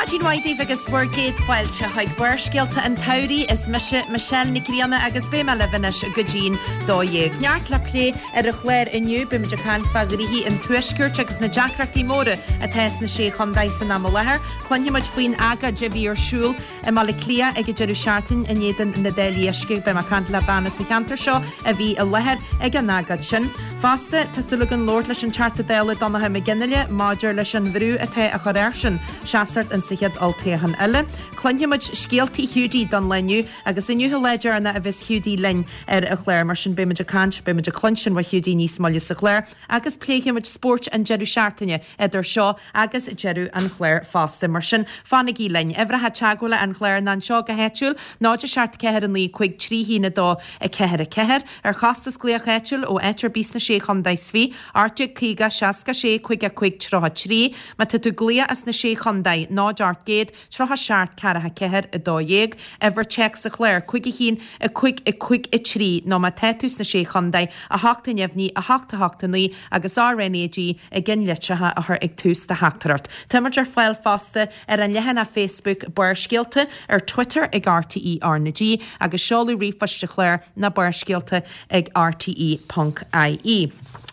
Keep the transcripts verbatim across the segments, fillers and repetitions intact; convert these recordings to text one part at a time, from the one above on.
Maidin mhaith daoibh agus bhur gcéad fáilte chuig Barrscéalta an tSamhraidh. Is mise Michelle Nic Grianna agus beidh mé libh anois go dtí'n dó dhéag. Neart le plé ar an chlár inniu, beimid ag caint fá ghnoithí an Tuaiscirt agus na deacrachtaí móra atá sna Sé Chontae san am i láthair. Cluinfimid faoin agóid a bhí ar siúl i mBaile Átha Cliath ag an deireadh seachtaine in éadan na dtáillí uisce. Beidh mé ag caint le bean as an cheantar seo a bhí i láthair ag an agóid sin. Fosta, tá súil againn labhairt leis an Teachta Dála Donnchadh Mac Fhionnghaile maidir leis an bhrú atá á chur airsean seasacht insa chéad olltoghchán eile. Cluinfimid scéaltaí Hiúdaí don lá inniu agus inniu an lá deireanach a bheas Hiúdaí linn ar an chlár. Mar sin beimid ag caint, beimid ag cluinstin ó Hiúdaí níos moille sa chlár agus pléifimid spórt an deireadh seachtaine idir seo agus deireadh an chláir fosta. Mar sin fanaigí linn. Uimhreacha teagmhála an chláir ná anseo go háitiúil, náid a seacht ceathair a naoi cúig trí haon a dó a ceathair a ceathair, ar chostas glaoch áitiúil ó áit ar bith sna Sé Chontae is Fiche, ocht déag caoga seasca sé caoga a cúig tríocha trí. Má tá tú ag glaoch as na Sé Chontae, náid ocht gcéad tríocha seacht ceathracha ceathair a dó dhéag, uimhir téacs an chláir, cúig a haon a cúig a cúig a trí, nó má tá tú sna Sé Chontae, a hocht a neamhní a hocht a hocht a naoi agus R N A G i gceannlitreacha a chur ag tús do theachtaireacht. Táimid ar fáil fosta ar an leathanach Facebook Barrscéalta, ar Twitter ag R T E R N G agus seoladh ríomhphoist an chláir ná barrscéalta ag R T E ponc I E.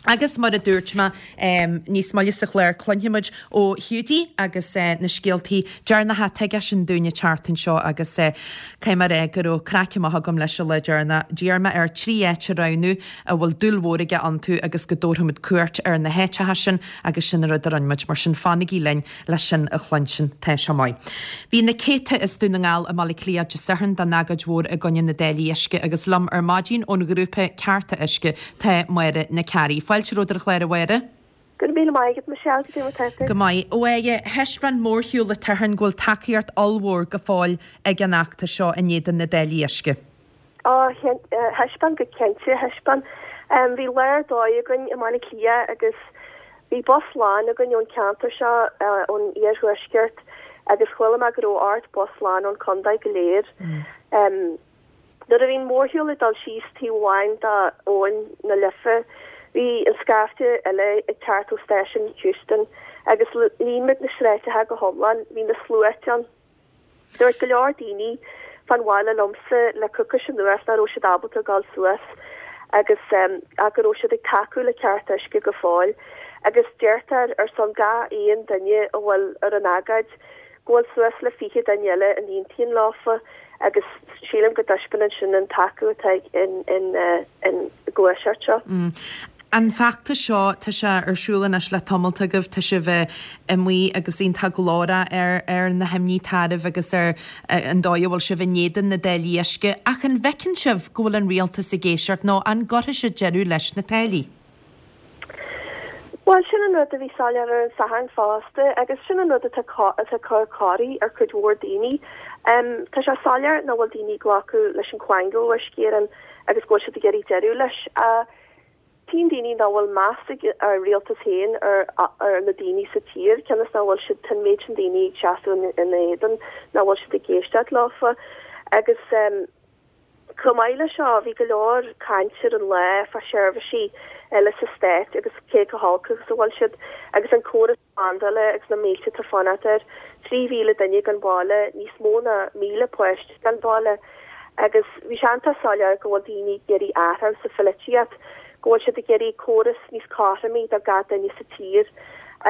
Agus mar a dúirt mé um, níos moille sa chlár cluinfimid ó Hiúdaí agus uh, na scéaltaí deireanacha atá aigesean dúinn an tseachtain seo agus uh, caithfidh mé rá go raibh craic maith agam leis an lá deireanach. D'iarr mé air trí áit a roghnú a bhfuil dúil mhór aige iontu agus go dtabharfaimid cuairt ar na háiteacha sin agus sin an rud a rinne muid mar sin fanaigí linn leis sin a chluinstin tá sé maith. Bhí na céadta as Dún na nGall i mBaile Átha Cliath Dé Sathairn don agóid mhór i gcoinne na dtáillí uisce agus liom ar maidin ón ghrúpa Cearta Uisce tá Máire Nic Fhearraigh. Fáilte romhat ar an chlár a Mháire? Go raibh míle maith agat Michelle go dtí Go maith ó éige thaispeáin mórshiúl an tSathairn go bhfuil tacaíocht ollmhór go fóill ag an fheachtas seo in éadan na dtáillí uisce. Á thaispeáin go cinnte thaispeáin. Bhí lá ar dóigh againn i mBaile Átha Cliath agus bhí bus lán againn ón ceantar seo ón iarthuaisceart agus chuala mé go raibh ocht bus lán ón chontae go léir. Um, Nuair a bhí an mórshiúl ag dul síos taobh amháin d'abhainn na Life, bhí an scaifte eile ag teacht ó station Heuston agus líon muid na sráideacha go hiomlán, bhí na sluaite ann. Dúirt go leor daoine fan bhaile liomsa le coicís anuas nach raibh siad ábalta dul suas agus um, a go raibh siad ag tacú le Cearta Uisce go fóill agus deirtear ar son gach aon duine a bhfuil ar an agóid go bhfuil suas le fiche duine eile in aontíon leofa agus sílim go dtaispeánann sin an tacú atá in in uh, in gluaiseacht seo. Mm. An feachtas seo tá sé ar siúl anois le tamall agaibh tá sibh amuigh agus iontach glórach ar ar na himní taraimh agus ar an dóigh a bhfuil sibh in éadan na dtáillí uisce ach an bhfeiceann sibh go bhfuil an rialtas ag éisteacht nó an gcuirfidh siad deireadh leis na táillí. Well sin an rud a bhí soiléir ar an Satharn fosta agus sin an rud atá atá cur corraí ar chuid mhór daoine. Um, tá sé soiléir nach bhfuil daoine glacadh leis an quango Uisce Éireann agus go bhfuil siad ag iarraidh deireadh leis. Uh, Tín daoine nach bhfuil meas ag ar rialtas féin ar ar na daoine sa tír, cionn is nach bhfuil siad an méid sin daoine ag seasamh in éadan nach bhfuil siad ag éisteacht leofa agus um, Chomh maith le seo bhí go leor caint ar an lá fá seirbhísí eile sa stát agus cé go holc agus a bhfuil siad agus an córas slándála agus na mílte atá fanacht air trí mhíle duine gan baile níos mó ná míle páiste gan baile agus bhí sé an-soiléir go bhfuil daoine ag iarraidh athrú sa pholaitíocht go bhfuil siad ag iarraidh córas níos cothroime do gach duine sa tír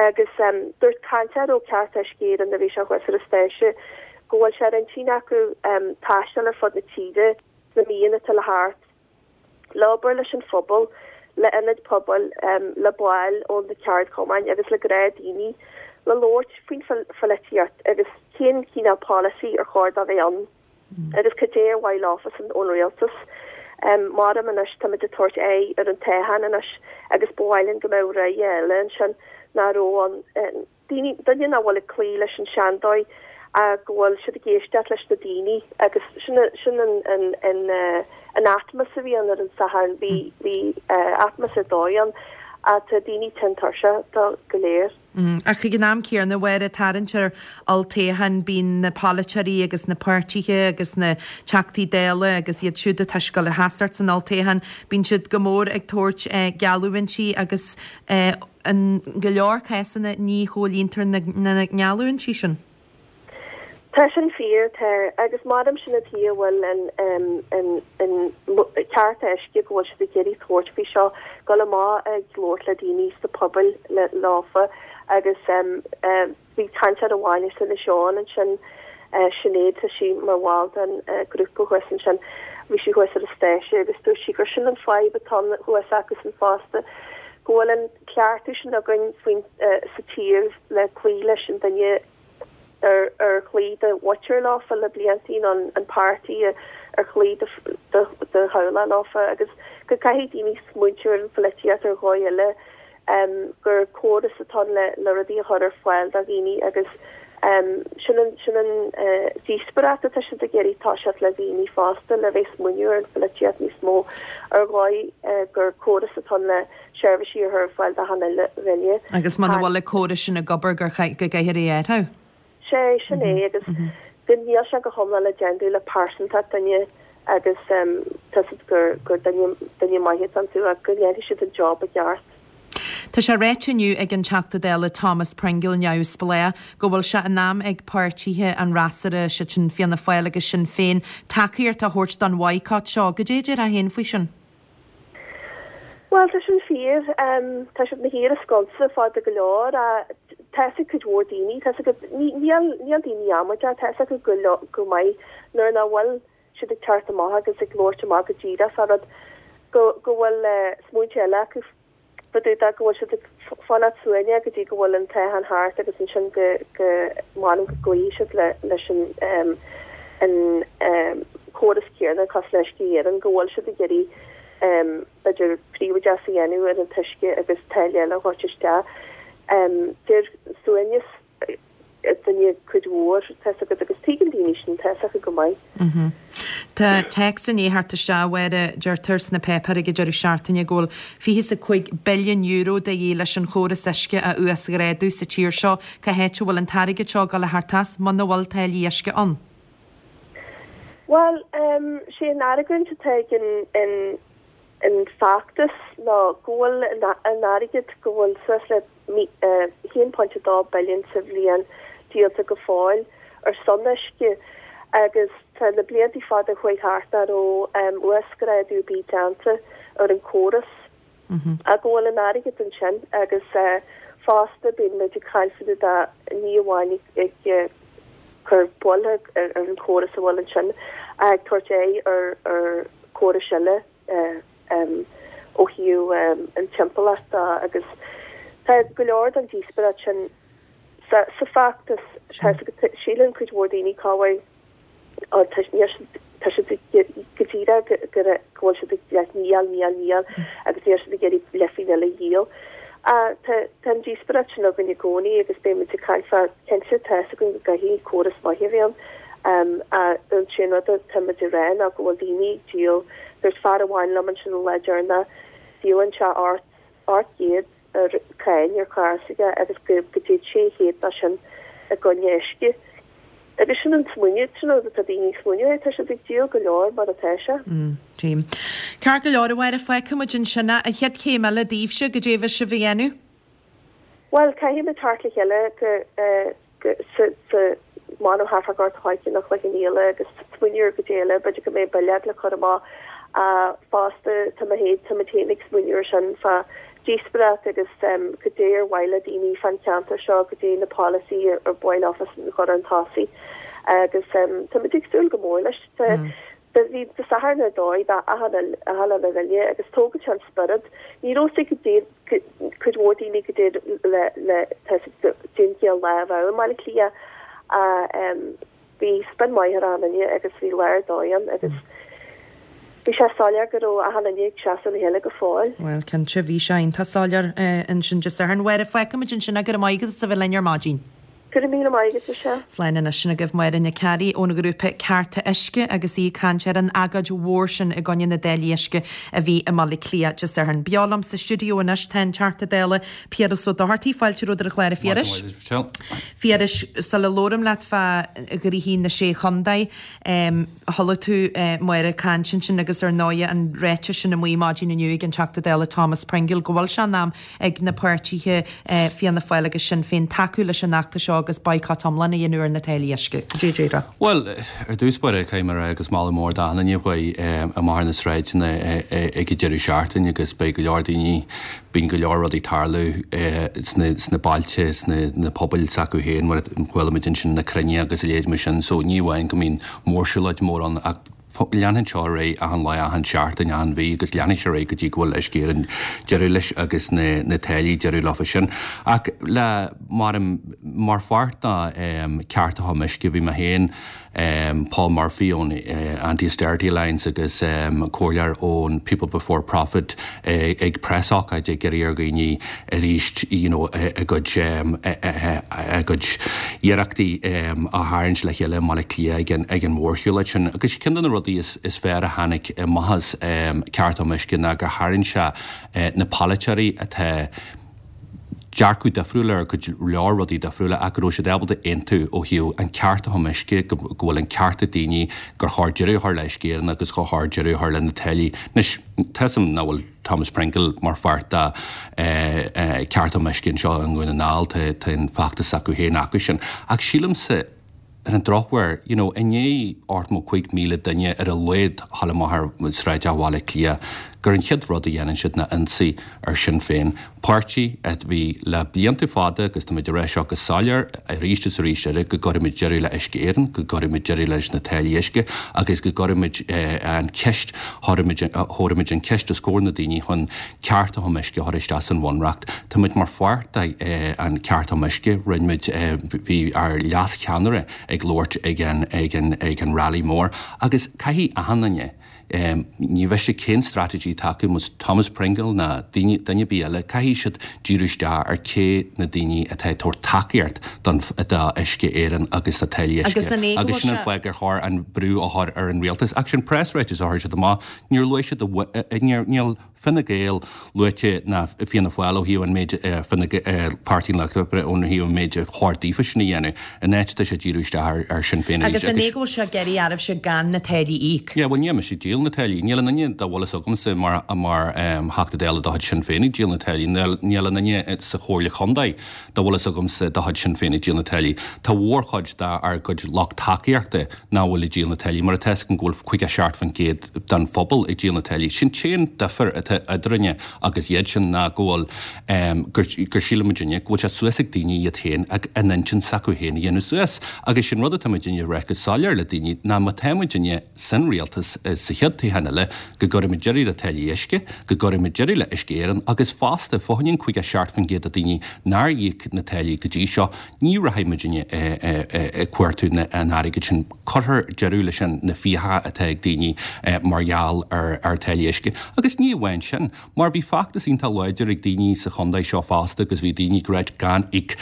agus um, dúirt cainteoir ó Cearta Uisce Éireann a bhí sé thuas ar an stáitse go bhfuil sé ar intinn acu um, taisteal ar fud na tíre na míonna atá le teacht le obair leis an phobal le ionaid pobail um, le baill ó na ceardchumainn agus le gnáthdhaoine le labhairt faoin pholaitíocht agus cén cineál policy ar chóir dó bheith ann mm. agus cad é ar mhaith leofa san ón rialtas. Um, mar anois tá ag tabhairt aghaidh ar an toghchán anois agus ba mhaith linn go mbeadh rogha eile ansin nach raibh an daoine duine nach bhfuil ag cloí leis an seandóigh a go bhfuil siad ag éisteacht leis na daoine agus sin sin an an an an atmaisféar a bhí ann ar an Satharn bhí bhí atmaisféar ar dóigh ann tá daoine tinn tuirseach dó go léir. Mm, ach ag an am céanna nuair a tarraingt ar olltoghchán bíonn na polaiteoirí agus na páirtithe agus na teachtaí dála agus iad siúd atá ag gabháil a sheasamh san olltoghchán, bíonn siad go mór ag tabhairt eh, geallúintí agus eh, in go leor cásanna ní chomhlíontar na, na geallúintí sin. Tá sin fíor tá agus madam sin a tí bhfuil an an an cearta uisce go bhfuil siad ag iarraidh tabhairt faoi seo go le má ag labhairt le daoine sa pobal le leofa agus um, um, bhí cainteoir amháin san Seán ansin uh, Sinéad tá sí mar bhall den uh, grúpa thuas ansin bhí sí thuas ar an stáitse agus dúirt sí gur sin an fadhb atá thuas acu san fosta go bhfuil an cleachtadh sin againn faoin uh, sa tír le cloí leis an duine ar ar chloígh do mhuintir leofa le bliantaí an an páirtí ar chloígh do do theaghlach leofa agus go caithfidh daoine smaointiú ar an pholaitíocht ar dhóigh eile um, gur córas atá le le rudaí a chur ar fáil do dhaoine agus um, sin an sin an uh, díospóireacht atá siad ag iarraidh toiseacht le daoine fosta le bheith smaoineamh ar an pholaitíocht níos mó ar dhóigh uh, gur córas atá le seirbhísí a chur ar fáil do achan duine. Agus muna bhfuil an córas sin ag obair gur go gcaithfear é athrú. sé sin é agus go níl sé go hiomlán le déanamh le pearsantacht duine agus um, tá gur gur duine duine maith iontu ach go ndéanfaidh siad an job i gceart. Tá sé ráite inniu ag an Teachta Dála Thomas Pringle neamhspleách go bhfuil sé in am ag páirtithe an fhreasúra sé sin Fianna Fáil agus Sinn Féin tacaíocht a thabhairt don bhaghcat seo go dé a haon faoi sin. Well tá sin fíor um, tá siad na híar scoilsa fada go leor a tá cuid mhór daoine tá níl níl daoine amaideach tá go go maith nuair nach bhfuil siad ag teacht amach agus ag labhairt amach go díreach fá rud go go bhfuil uh, smaointe eile acu go go bhfuil siad ag fanacht suaimhneach go dtí go bhfuil an toghchán thart agus ansin go go m'anam go gcloífidh siad le leis an um, an um, córas céanna cosúil le hUisce Éireann go bhfuil siad ag iarraidh um, b'fhéidir príobháideachas a dhéanamh ar an t-uisce agus táille eile a thabhairt isteach. Um, Deir suaimhneas duine cuid mhór acu agus tuigeann daoine sin tá acu go maith. Mm -hmm. Tá téacs inné thart isteach Mháire deirtear sna páipéir ag deireadh seachtaine go bhfuil fiche a cúig billiún euro de dhíth leis an chóras uisce a uasghrádú sa tír seo cá háit a bhfuil an t-airgead seo ag dul a theacht as muna bhfuil táillí uisce ann. Well um, sé an argóint atá in, in an feachtas ná go bhfuil an airgead go bhfuil suas le haon pointe dó billiún sa bhliain díolta go fóill ar son uisce agus tá na blianta fada chuaigh thart nach raibh um, uasghrádú ar bith déanta ar an córas Mm -hmm. a go bhfuil an airgead ansin agus uh, fosta bíonn muid ag caint da ní amháin ag uh, cur buille ar, ar an córas a bhfuil ansin ag tabhairt é ar ar córas eile uh, um, ó thaobh um, an timpeallacht agus tá go leor den díospóireacht sin sa, sa feachtas síleann cuid mhór daoine cáhhaid tá siad go díreach go bhfuil siad níl níl níl agus níl siad ag iarraidh leifín eile dhíol. Tá an díospóireacht sin againn i gcónaí agus beimid ag caint fá cinnte tá go gcaithfidh córas maith a bheith um, an sin rud táimid ag rá ná go bhfuil daoine díol Dúirt fear amháin liom ansin an lá deireanach díolann sé ocht ocht gcéad ar cáin ar charr s'aige agus go go dtéann sé chéad dá sin i gcoinne uisce. Agus sin an smaoineamh sin rud atá daoine smaoineamh tá siad ag díol go leor mar atá sé. Mm, Tím. Ceart go leor a Mháire feicfimid ansin an chéad chéim eile daoibhse goidé a bheidh sibh a dhéanamh? Well caithfimid teacht le chéile go uh, go sa sa manu hafagart haike nach le níle agus smaoineamh go déile b'fhéidir go mbeidh bille le chur amach uh, fosta tá mé tá mé féin ag smaoineamh sin fá díospóireacht agus um, goidé ar mhaith le daoine fán cheantar seo goidé na policy ar ar bhain office an chur an tosaigh agus um, tá mé ag súil go mór leis mm. bhí de Satharn ar dóigh da achan a bhile agus tógann an spiorad ní raibh go dé cuid mhór daoine go dé le le déan lá Baile Átha Cliath a um, bhí spin maith ar an agus bhí léir dóigh agus bhí sé soiléir go raibh achan duine ag seasamh le chéile go fóill. Well cinnte bhí sé iontach soiléir ansin Dé Sathairn Mháire feicfimid ansin go raibh maith agat as a bheith linn ar maidin. Go raibh míle maith agat sé. Slán anois sin agaibh Máire Nic Fhearraigh ón ghrúpa Cearta Uisce agus í ag caint ar an agóid mhór sin i gcoinne na dtáillí uisce a bhí i mBaile Átha Cliath Dé Sathairn. Beo liom sa stiúideo anois tá an Teachta Dála Piaras Ó Dochartaigh fáilte romhat ar an chlár a Phiarais. Phiarais sula labhraím leat fá ghnoithí na sé chontae um, chuala tú uh, Máire ag caint ansin agus ar ndóigh an ráiteas sin amuigh maidin inniu ag an Teachta Dála Thomas Pringle go bhfuil sé in am ag na páirtithe uh, Fianna Fáil agus Sinn Féin tacú leis an fheachtas seo agus boycott iomlán a dhéanamh ar na táillí uisce. Cad é déarfá? Bhuel, ar dtús báire caithfidh mé a rá agus moladh mór d'achan duine a chuaigh amach ar na sráideanna ag an deireadh seachtaine agus beidh go leor daoine, bíonn go leor rudaí ag tarlú sna bailte, sna pobail s'acu féin mar a chuala muid ansin na cruinnithe agus a leithéid mar sin so ní amháin go mbíonn mórshiúlóid mór ann ach leanann seo ar aghaidh achan lá, achan seachtain, achan mhí agus leanfaidh sé ar aghaidh go dtí go bhfuil Uisce Éireann deireadh leis agus na na táillí deireadh leofa sin. Ach le mar mar pháirt de Cearta um Uisce bhí mé féin, Paul Murphy ón Anti-Austerity Alliance agus comhairleoir ón People Before Profit ag preasócáid ag iarraidh ar dhaoine arís you know a gcuid a gcuid iarrachtaí a tharraingt le chéile i mBaile Átha Cliath ag an ag an mhórshiúlóid sin. Agus ceann de na rudaí is is fearr a tháinig amach as Cearta um Uisce ná gur tharraing sé na polaiteoirí atá dearcadh difriúil ar go leor rudaí difriúla ach go raibh siad ábalta aontú ó thaobh an ceart chun uisce, go bhfuil an ceart ag daoine gur chóir deireadh a chur le Uisce Éireann agus gur chóir deireadh a chur le na táillí. Anois, tá 'fhios a'm nach bhfuil Thomas Pringle mar pháirt de Cearta um Uisce anseo i nDún na nGall, tá an feachtas acu féin acu sin. Ach sílimse, ar an drochuair, you know, i ndiaidh ochtó a cúig míle duine ar a laghad a dhul amach ar sráideanna Bhaile Átha Cliath, gur an chéad rud a dhéanann siad ná ionsaí ar Sinn Féin, páirtí a bhí le blianta fada, agus táimid ag rá seo go soiléir arís is arís eile, go gcuirfimid deireadh le Uisce Éireann, go gcuirfimid deireadh leis na táillí uisce agus go gcuirfimid an cheist, thabharfaimid an cheist os comhair na daoine chun cearta um uisce a chur isteach san Bhunreacht. Táimid mar pháirt de an Cearta um Uisce, rinne muid, bhí ár leas-cheannaire ag labhairt ag an, ag an, ag an rally mór agus caithfidh achan duine, ní mhiste cén strategy atá acu, más Thomas Pringle ná daoine, duine ar bith eile, caithfidh siad díriú isteach ar cé na daoine atá ag tabhairt tacaíocht don, do Uisce Éireann agus do táillí uisce. Agus an é go Agus bhfuil sin an sé. fáth gur chóir an brú a chur ar an rialtas. Ach sin preasráiteas a chuir siad amach, níor luaigh siad a, níor, níl, Fine Gael luaite ná Fianna Fáil ó thaobh an méid Fine Páirtí an Lucht Oibre ón thaobh an méid a chóir daofa sin a dhéanamh. In áit tá sé díriú isteach ar Sinn Féin arís. Agus an é go bhfuil sé ag iarraidh oraibhse gan na táillí a íoc? Yeah, bhuel níl mise ag díol na táillí. Níl aon duine dá bhfuil fhios agamsa mar mar Theachta Dála de chuid Sinn Féin ag díol na táillí. Níl aon duine sa Chomhairle Chontae dá bhfuil fhios agamsa de chuid Sinn Féin ag díol na táillí. Tá mhórchuid dár gcuid lucht tacaíochta nach bhfuil ag díol na táillí mar atá fhios agam go bhfuil caoga seacht faoin gcéad den phobal ag díol na táillí. Sin t-aon difear atá eadrainne agus iad sin ná go bhfuil gur gur síleann muidinne go bhfuil sé suas ag daoine iad féin ag a n-intinn s'acu féin a dhéanamh suas. Agus sin rud atá muidinne ag rá go soiléir le daoine ná má tá muidinne san rialtas sa chéad toghchán eile go gcuirfimid deireadh le táillí uisce, go gcuirfimid deireadh le Uisce Éireann agus fosta fá choinne an caoga seacht faoin gcéad de daoine nár íoc na táillí go dtí seo, ní rachaidh muidinne ag cuartú an airgid sin. Cuirfear deireadh leis na fiacha atá ag daoine mar gheall ar táillí uisce. Agus ní amháin sin, mar bhí feachtas iontach láidir ag daoine sa chontae seo fosta agus bhí daoine ag ráit gan íoc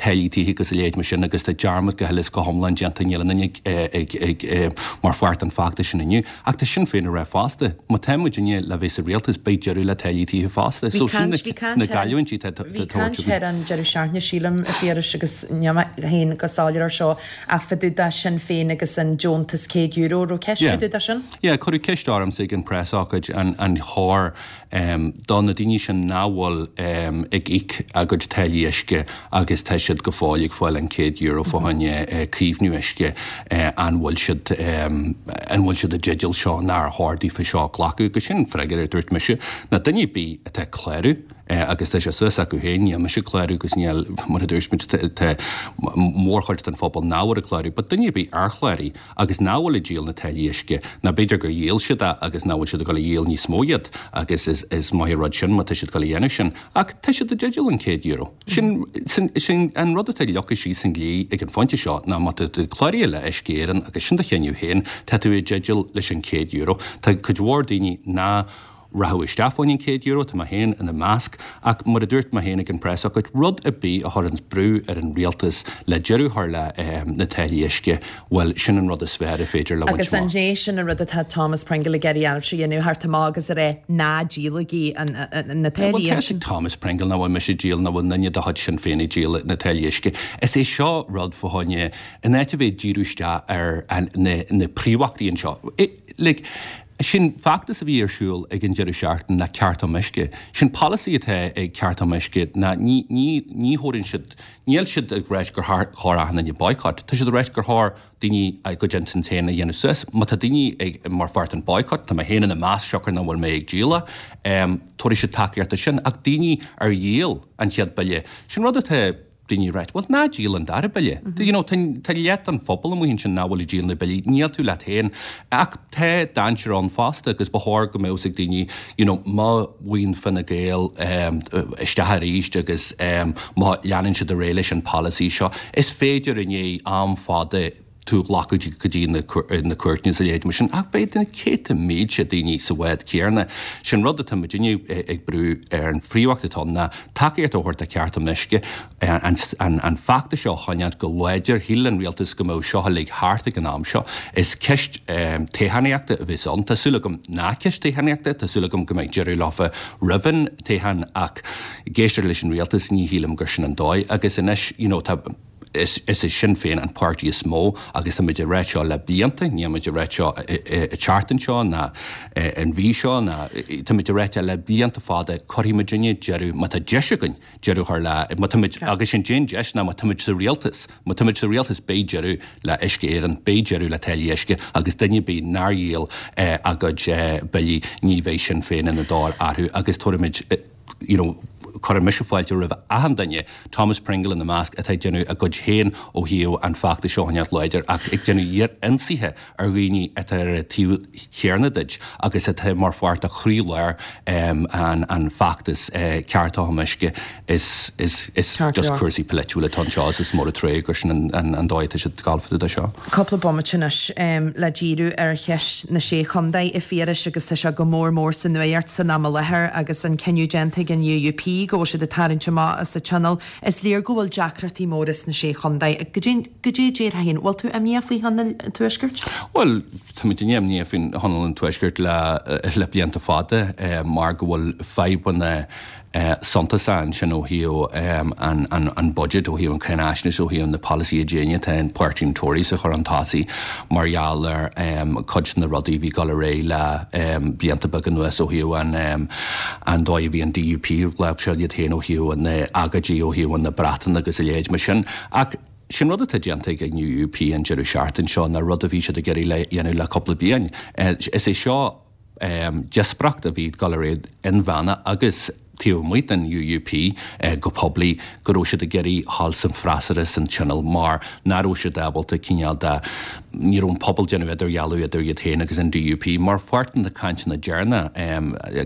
táillí tithe agus a leithéid mar sin agus tá dearmad go huile is go hiomlán déanta, níl aon duine ag mar pháirt den feachtas sin inniu. Ach tá Sinn Féin ag rá fosta, má tá muidinne le bheith sa rialtas beidh deireadh le táillí tithe fosta. So sin na cailliúintí atá Bhí caint ar an deireadh seachtaine, sílim, a Phiarais, agus níl mé féin go soiléir ar seo, ach fá dtaobh de Sinn Féin agus an deontas céad euro, raibh ceist fá dtaobh de sin? Yeah, cuireadh ceist ormsa ag an preasócáid an an chóir do na daoine sin nach bhfuil ag íoc a gcuid táillí uisce agus tá siad go fóill ag fáil an céad euro fá choinne caomhnú uisce, an bhfuil siad an bhfuil siad i dteideal seo nó ar chóir daofa seo a ghlacadh? Agus sin an freagra a dúirt mise, ná duine ar bith atá ag clárú, agus tá sé suas acu féin, níl mise ag clárú agus níl, mar a dúirt muid, tá mórchuid den phobal nach bhfuil ag clárú, but duine ar bith ar chláraigh agus nach bhfuil ag díol na táillí uisce, nó b'fhéidir gur dhíol siad é agus nach bhfuil siad ag dul a dhíol níos mó iad agus is is maith an rud sin má tá siad ag dul a dhéanamh sin, ach tá siad i dteideal an céad euro. Sin sin sin an rud atá leagtha síos sa dlí ag an phointe seo ná má tá tú cláraithe le Uisce Éireann agus sin do chinneadh féin, tá tú i dteideal leis an céad euro. Tá cuid mhór daoine ná rachadh isteach fá choinne an céad euro, tá mé féin ina measc, ach mar a dúirt mé féin ag an preasócáid, rud ar bith a chuireanns brú ar an rialtas le deireadh a chur le na táillí uisce, bhuel, sin an rud is fearr a féidir le bhaint Agus an é sin an rud atá Thomas Pringle ag iarraidh oraibhse a dhéanamh, theacht amach agus a rá, ná díolaigí na táillí Bhuel, tá fhios ag Thomas Pringle nach bhfuil mise ag díol, nach bhfuil duine de chuid Sinn Féin ag díol na táillí uisce. Is é seo rud fá choinne, in áit a bheith ag díriú isteach ar na príomhachtaí anseo, like, Sin feachtas a bhí ar siúl ag an deireadh seachtaine ná Ceart um Uisce. Sin polasaí atá ag Ceart um Uisce ná ní ní ní thabharann siad níl siad ag ráit gur chóir achan duine boycott. Tá siad ag ráit gur chóir daoine a gcuid intinn féin a dhéanamh suas. Má tá daoine ag mar pháirt den boycott, tá mé féin ina measc siocair nach bhfuil mé ag díol, tabharfaidh siad tacaíocht do sin. Ach daoine ar dhíol an chéad bille, sin rud atá daoine ag ráit, bhuel ná díol an dara bille. You know, tá leath den phobal amuigh ansin nach bhfuil ag díol na billí, níl tú leat féin. Ach tá dainséar ann fosta agus ba chóir go mbeadh fhios ag daoine, you know, má bhíonn Fine Gael um, isteach arís agus um, má leanann siad ar aghaidh leis an polasaí seo, is féidir i ndiaidh am fada tú a ghlacadh go dtí na cúirteanna is a leithéid mar sin, ach beidh na céadta mílte daoine sa bhád céanna. Sin rud atá muidinne ag brú ar an phríomhacht atá ann ná tacaíocht a thabhairt do Ceart um Uisce, an feachtas seo a choinneáil go láidir. Shíl an rialtas go mbeadh seo uilig thart ag an am seo. Is ceist toghchánaíochta a bheas ann. Tá súil agam nach ceist toghchánaíochta, tá súil agam go mbeidh deireadh leofa roimh an toghchán ach ag éisteacht leis an rialtas ní shílim gur sin an dóigh agus anois you know tá Is é Sinn Féin an páirtí is mó agus tá muid ag ráit seo le blianta, níl muid ag ráit seo an tseachtain seo ná an mhí seo ná tá muid ag ráit le blianta fada, cuirfidh muidinne deireadh, má tá deis againn deireadh a chur le, má tá muid, agus sin an deis ná má tá muid sa rialtas, má tá muid sa rialtas beidh deireadh le Uisce Éireann, beidh deireadh le táillí uisce agus duine ar bith nár dhíol a gcuid billí ní bheidh Sinn Féin ina dtóir orthu agus tabharfaimid you know, cuirfidh mise fáilte roimh achan duine, Thomas Pringle ina measc, atá ag déanamh a gcuid féin ó thaobh an feachtas seo a choinneáilt láidir ach ag déanamh ionsaithe ar dhaoine atá ar an taobh chéanna duit agus atá mar pháirt de chroílár an feachtas Ceart um Uisce. Is is is just cúrsaí polaitiúla atá anseo agus is mór an trua gur sin an dóigh atá siad ag gabháil fá dtaobh de seo. Cúpla bomaite anois le díriú ar cheist na Sé Chontae, a Phiarais, agus tá sé go mór mór sa nuacht san am i láthair agus an cinneadh déanta ag an UUP go bhfuil siad ag tarraingt amach as an Tionól. Is léir go bhfuil deacrachtaí móra sna Sé Chontae. Goidé a déarfá féin? Bhfuil tú imníoch faoi Thionól an Tuaiscirt? Bhuel, tá muid imníoch faoin Thionól an Tuaiscirt le le blianta fada mar go bhfuil fadhbanna suntasach ansin ó thaobh an an budget, ó thaobh an cháinaisnéis, ó thaobh na polasaithe déine atá an páirtí an Tories a chur chun tosaigh mar gheall ar cuid de na rudaí a bhí ag dul ar aghaidh le blianta beaga anuas ó thaobh an an dóigh a bhí an DUP ag láimhseáil iad féin ó thaobh na agóidí ó thaobh na Breataine agus a leithéid mar sin. Ach sin rud atá déanta ag an UUP an deireadh seachtain seo ná rud a bhí siad ag iarraidh le dhéanamh le cúpla bliain. Is é seo díospóireacht a bhí ag dul ar aghaidh inmheánach agus taobh amuigh den UUP go poiblí go raibh siad ag iarraidh dhul san freasúra san Tionól mar nach raibh siad ábalta cineál de ní raibh an pobal déanamh idirdhealú idir iad féin agus an DUP mar pháirt de na cainteanna deireanach,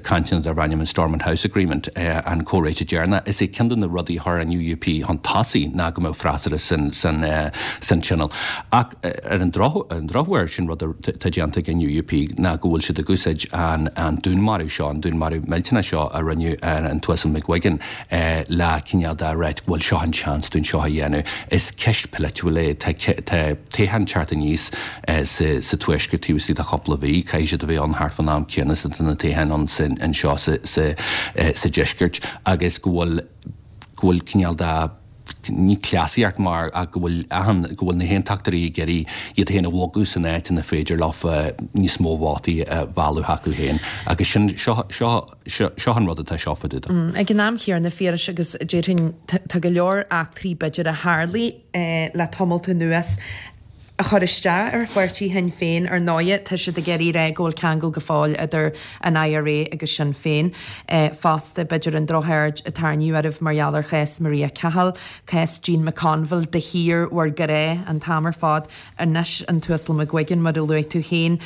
cainteanna darb ainm an Stormont House Agreement, an comhréiteach deireanach. Is é ceann de na rudaí a chuir an UUP chun tosaigh ná go mbeadh freasúra san san Tionól. Ach ar an drochuair sin rud atá déanta ag an UUP ná go bhfuil siad ag úsáid an dúnmharú seo, an dúnmharú millteanach seo a rinneadh ar an tUasal McGuigan le cineál de ráit bhuel seo an seans dúinn seo a dhéanamh. Is ceist polaitiúil é. Tá toghchán ag teacht aníos sa Tuaisceart taobh istigh de chúpla mhí. Caithfidh siad a bheith ann thart fán am céanna is atá na toghcháin ann anseo sa Deisceart agus go bhfuil go bhfuil cineál de ní cleasaíocht mar ach go bhfuil achan, go bhfuil na hAontachtóirí ag iarraidh iad féin a bhogadh san áit ina féidir leofa níos mó vótaí a mhealladh chucu féin agus sin, seo, seo, seo, seo an rud atá seo fá dtaobh de. Ag an am chéanna, a Phiarais, agus déarfainn tá go leor eachtraí b'fhéidir a tharlaigh le tamalt anuas, a chur isteach ar pháirtí Shinn Féin. Ar ndóighe, tá siad ag iarraidh a rá go bhfuil ceangal go fóill idir an IRA agus Sinn Féin. Fosta, b'fhéidir an drochaird a tarraingíodh oraibh mar gheall ar chás Maria Cahill, cás Jean McConville de shíor bhur gcrá an t-am ar fad. Anois an tUasal McGuigan, mar a luaigh tú féin.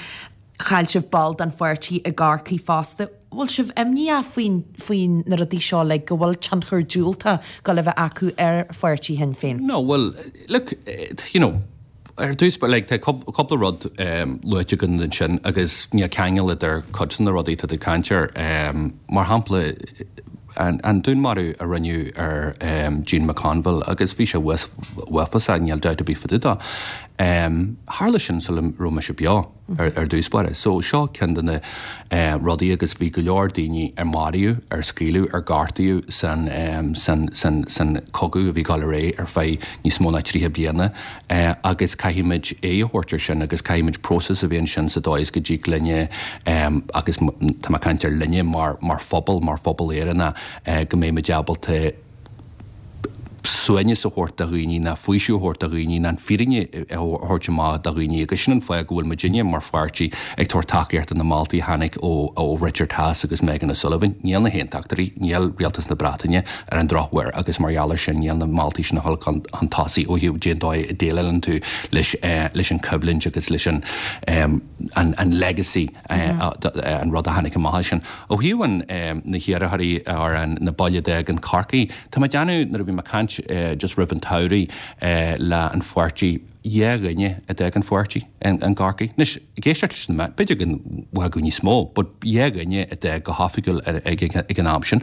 Chaill sibh ball den pháirtí i gCorcaigh fosta. Bhfuil sibh imníoch faoin faoi na rudaí seo like go bhfuil tionchar diúltach ag gabháil a bheith acu ar pháirtí Shinn Féin? No, bhuel, look, you know, ar dtús, like, tá cúpla rud luaite agat ansin agus níl ceangal idir cuid de na rudaí atá tú ag caint air. Mar shampla, an dúnmharú a rinneadh ar Jean McConville agus bhí sé uafásach, níl dabht ar bith fá dtaobh de. Tharla sin sula raibh mise beo ar ar dtús báire. So seo ceann de na rudaí agus bhí go leor daoine ar maraíodh, ar scaoileadh, ar gortaíodh san san san san cogadh a bhí ag dul ar aghaidh ar feadh níos mó ná tríocha bliana agus caithfimid aghaidh a thabhairt ar sin agus caithfimid próiseas a bheith ansin sa dóigh is go dtig linne agus tá mé ag caint ar linne mar mar phobal, mar phobal Éireannach go mbeimid ábalta suaimhneas a thabhairt do dhaoine ná faoiseamh a thabhairt do dhaoine ná an fírinne a thabhairt amach do dhaoine agus sin an fáth go bhfuil muidinne mar pháirtí ag tabhairt tacaíocht do na moltaí a tháinig ó ó Richard Haass agus Megan O'Sullivan. Níl na hAontachtóirí, níl Rialtas na Breataine ar an drochuair agus mar gheall air sin níl na moltaí sin a dhul chun chun tosaigh ó thaobh cén dóigh a déileálann tú leis leis an choimhlint agus leis an an an legacy an rud a tháinig amach as sin. Ó thaobh an na hiarrthóirí ar an na baile a d'fhág an Corcaigh, tá mé ag déanamh nuair a bhí mé ag caint just roimh an tsamhraidh le an pháirtí, dhá dhuine a d'fhág an pháirtí in gCorcaigh. Anois, ag éisteacht leis na meáin, b'fhéidir go bhfágadh níos mó, but dhá dhuine a d'fhág go hoifigiúil ag an am sin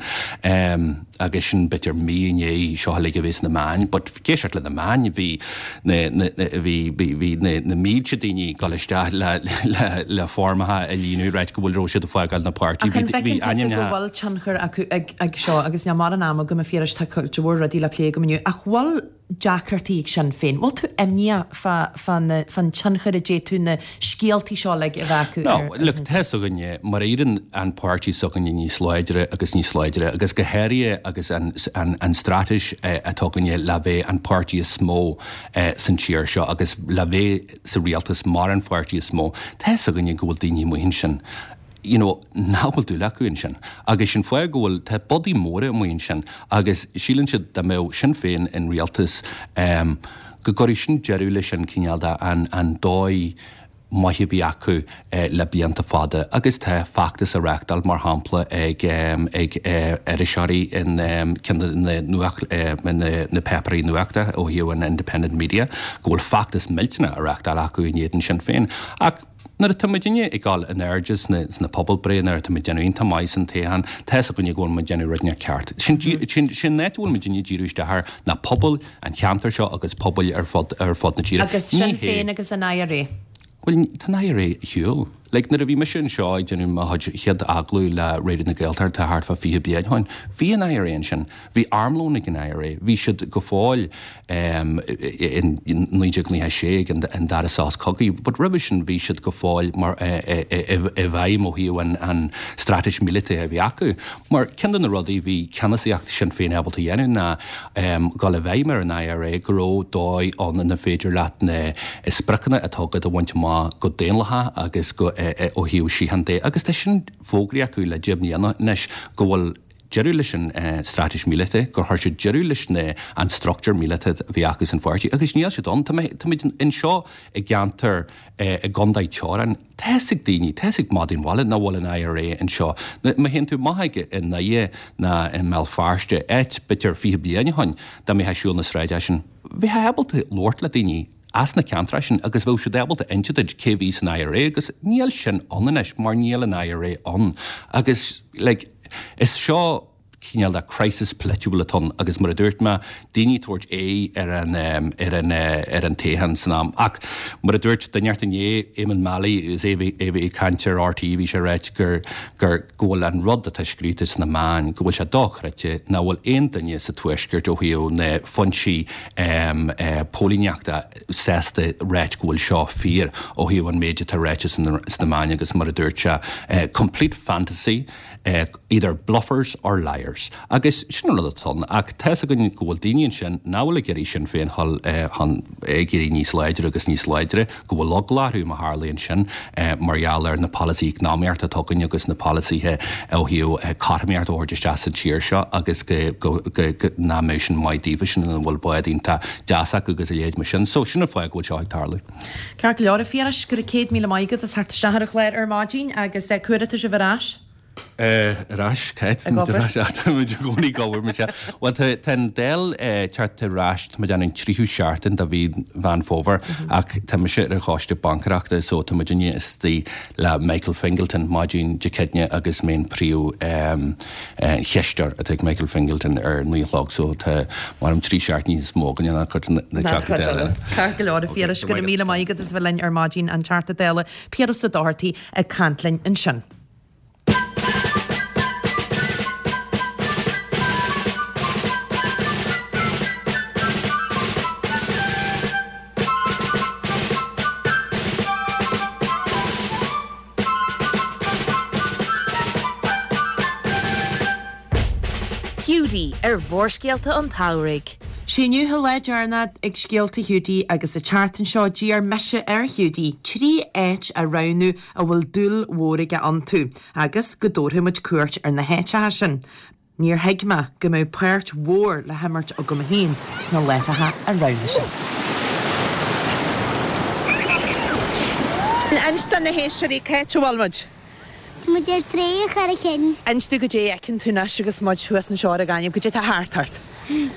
agus sin b'fhéidir mí i ndiaidh seo uilig a bheith sna meáin, but ag éisteacht le na meáin, bhí na, na, bhí, bhí, bhí na, na mílte daoine ag dul isteach le, le, le foirmeacha a líonadh, ráit go bhfuil raibh siad ag fágáil na páirtí. Ach an bhfeiceann tusa go bhfuil tionchar acu ag, ag seo agus níl mórán ama agam a Phiarais, tá cuid mhór rudaí le plé agam inniu, ach bhfuil deacrachtaí ag Sinn Féin? Bhfuil tú imníoch fá, fán, fán tionchar a d'fhéadfadh na scéaltaí seo uilig a bheith acu No, ar, ar look, tá fhios againne, mar a éiríonn an páirtí s'againne níos láidre agus níos láidre agus go háirithe agus an, an, an straitéis atá againne le bheith an páirtí is mó san tír seo agus le bheith sa rialtas mar an pháirtí is mó, tá fhios againne go bhfuil daoine amuigh ansin you know, nach bhfuil dúil acu ansin. Agus sin fáth go bhfuil, tá bodaí móra amuigh ansin agus síleann siad dá mbeadh Sinn Féin in rialtas um, go gcuirfeadh sin deireadh leis an cineál de an, an dóigh maith a bhí acu eh, le blianta fada agus tá feachtas á reáchtáil mar shampla ag, um, ag eh, iriseoirí in um, ceann de na, nuacht, eh, na, na páipéirí nuachta ó thaobh an Independent Media go bhfuil feachtas millteanach á reáchtáil acu in éadan Sinn Féin. Ach nuair atá muidinne ag dul in airde sna, sna pobalbhreitheanna, nuair atá muid déanamh iontach maith san toghchán, tá fhios againne go bhfuil muid déanamh rud inteacht ceart. Sin, sin, sin an áit a bhfuil muidinne ag díriú isteach air ná pobal an cheantair seo agus pobail ar fud, ar fud na tíre. Agus Sinn Féin agus an I R A. Bhuel, tá an I R A ar shiúl. Like, nuair a bhí mise anseo ag déanamh mo chuid chéad agallamh le Raidió na Gaeltachta thart fá fiche bliain ó shin, bhí an I R A ansin. Bhí armlón ag an I R A. Bhí siad go fóill um, in naoi déag nócha sé ag an, an dara sos cogaidh, but roimhe sin bhí siad go fóill mar i bhfeidhm ó thaobh an, an straitéis míleata a bhí acu. Mar ceann de na rudaí bhí ceannasaíocht Sinn Féin ábalta a dhéanamh ná um, dul i bhfeidhm ar an I R A go raibh dóigh ann ina féidir leat na spriocanna atá agat a bhaint amach go daonlathach agus go ó thaobh síocháin de agus tá sin fógraithe acu le deich mbliana anois go bhfuil deireadh leis an straitéis míleata, gur chuir siad deireadh leis na an struchtúr míleata a bhí acu san pháirtí agus níl siad ann. Táimid anseo i gceantar i gcontae teorann. Tá fhios ag daoine, tá fhios ag madaí an bhaile nach bhfuil an I R A anseo. Má théann tú amach ag i nDoire ná i mBéal Feirste, áit b'fhéidir fiche bliain ó shin dá mbeifeá ag siúl na sráide sin, bheifeá ábalta labhairt le daoine as na ceantair sin agus bheadh siad ábalta inse duit cé bhí san I R A agus níl sin ann anois mar níl an I R A ann. Agus like, is seo cineál de crisis polaitiúil atá ann agus mar a dúirt mé, daoine tabhairt aghaidh ar an ar an ar an toghchán san am. Ach mar a dúirt duine inné, Eamonn Mallie, is é é bhí ag caint ar R T E, bhí sé ag ráit gur gur go bhfuil an rud atá scríte sna meáin, go bhfuil sé dochreidte nach bhfuil aon duine sa tuaisceart ó thaobh na foinsí um, uh, póilíneachta sásta ráit go bhfuil seo fíor ó thaobh an méid atá ráite sna meáin agus mar a dúirt sé uh, complete fantasy uh, either bluffers or liars. Agus sin an rud atá ann ach tá fhios againn go bhfuil daoine ansin nach bhfuil ag iarraidh Sinn Féin dhul chun ag éirí níos láidre agus níos láidre, go bhfuil eagla orthu má tharlaíonn sin mar gheall ar na polasaithe eacnamaíochta atá againn agus na polasaithe ó thaobh cothromaíocht a thabhairt isteach sa tír seo agus go nach mbeadh sin maith daofa sin ina bhfuil bád iontach deas acu agus a leithéid mar sin. So sin an fáth go bhfuil seo ag tarlú. Ceart go leor a Phiarais, go raibh céad míle maith agat as theacht isteach ar an chlár ar maidin agus cuairte sibh ar ais. Ar ais, Kate, Ag obair. ar ais, tá muid i gcónaí ag obair, Michelle. Bhuel, tá tá an Dáil eh, teacht ar ais, tá muid an tríú seachtain de mhí Mheán Fómhair, ach tá mise ar an choiste bancairachta, so tá muid inniu istigh le Michael Fingleton maidin Dé Céadaoine agus mé an príomh um, eh, cheisteoir atá ag Michael Fingleton ar naoi a chlog, so tá mar am trí seachtaine níos mó againne ná cuid na na Teachtaí Dála eile. Ceart go leor a Phiarais go raibh míle maith agat as bheith linn ar maidin an Teachta Dála Piaras Ó Dochartaigh ag caint linn ansin. Hiúdaí ar Mhórscéalta an tSamhraidh. Sé inniu an lá deireanach ag Scéalta Hiúdaí agus an tseachtain seo d'iarr mise ar Hiúdaí trí áit a roghnú a bhfuil dúil mhór aige iontu, agus go dtabharfaidh muid cuairt ar na háiteacha sin. Níor thuig mé go mbeadh páirt mhór le himirt agam féin sna láithreacha a roghnaigh sé. Inis do na héisteoirí cá háit a bhfuil muid. Tá muid ar Trá an Charraig Thinn. Inis domh goidé a fheiceann tú anois agus muid thuas anseo ar an gaineamh, goidé atá thart ort.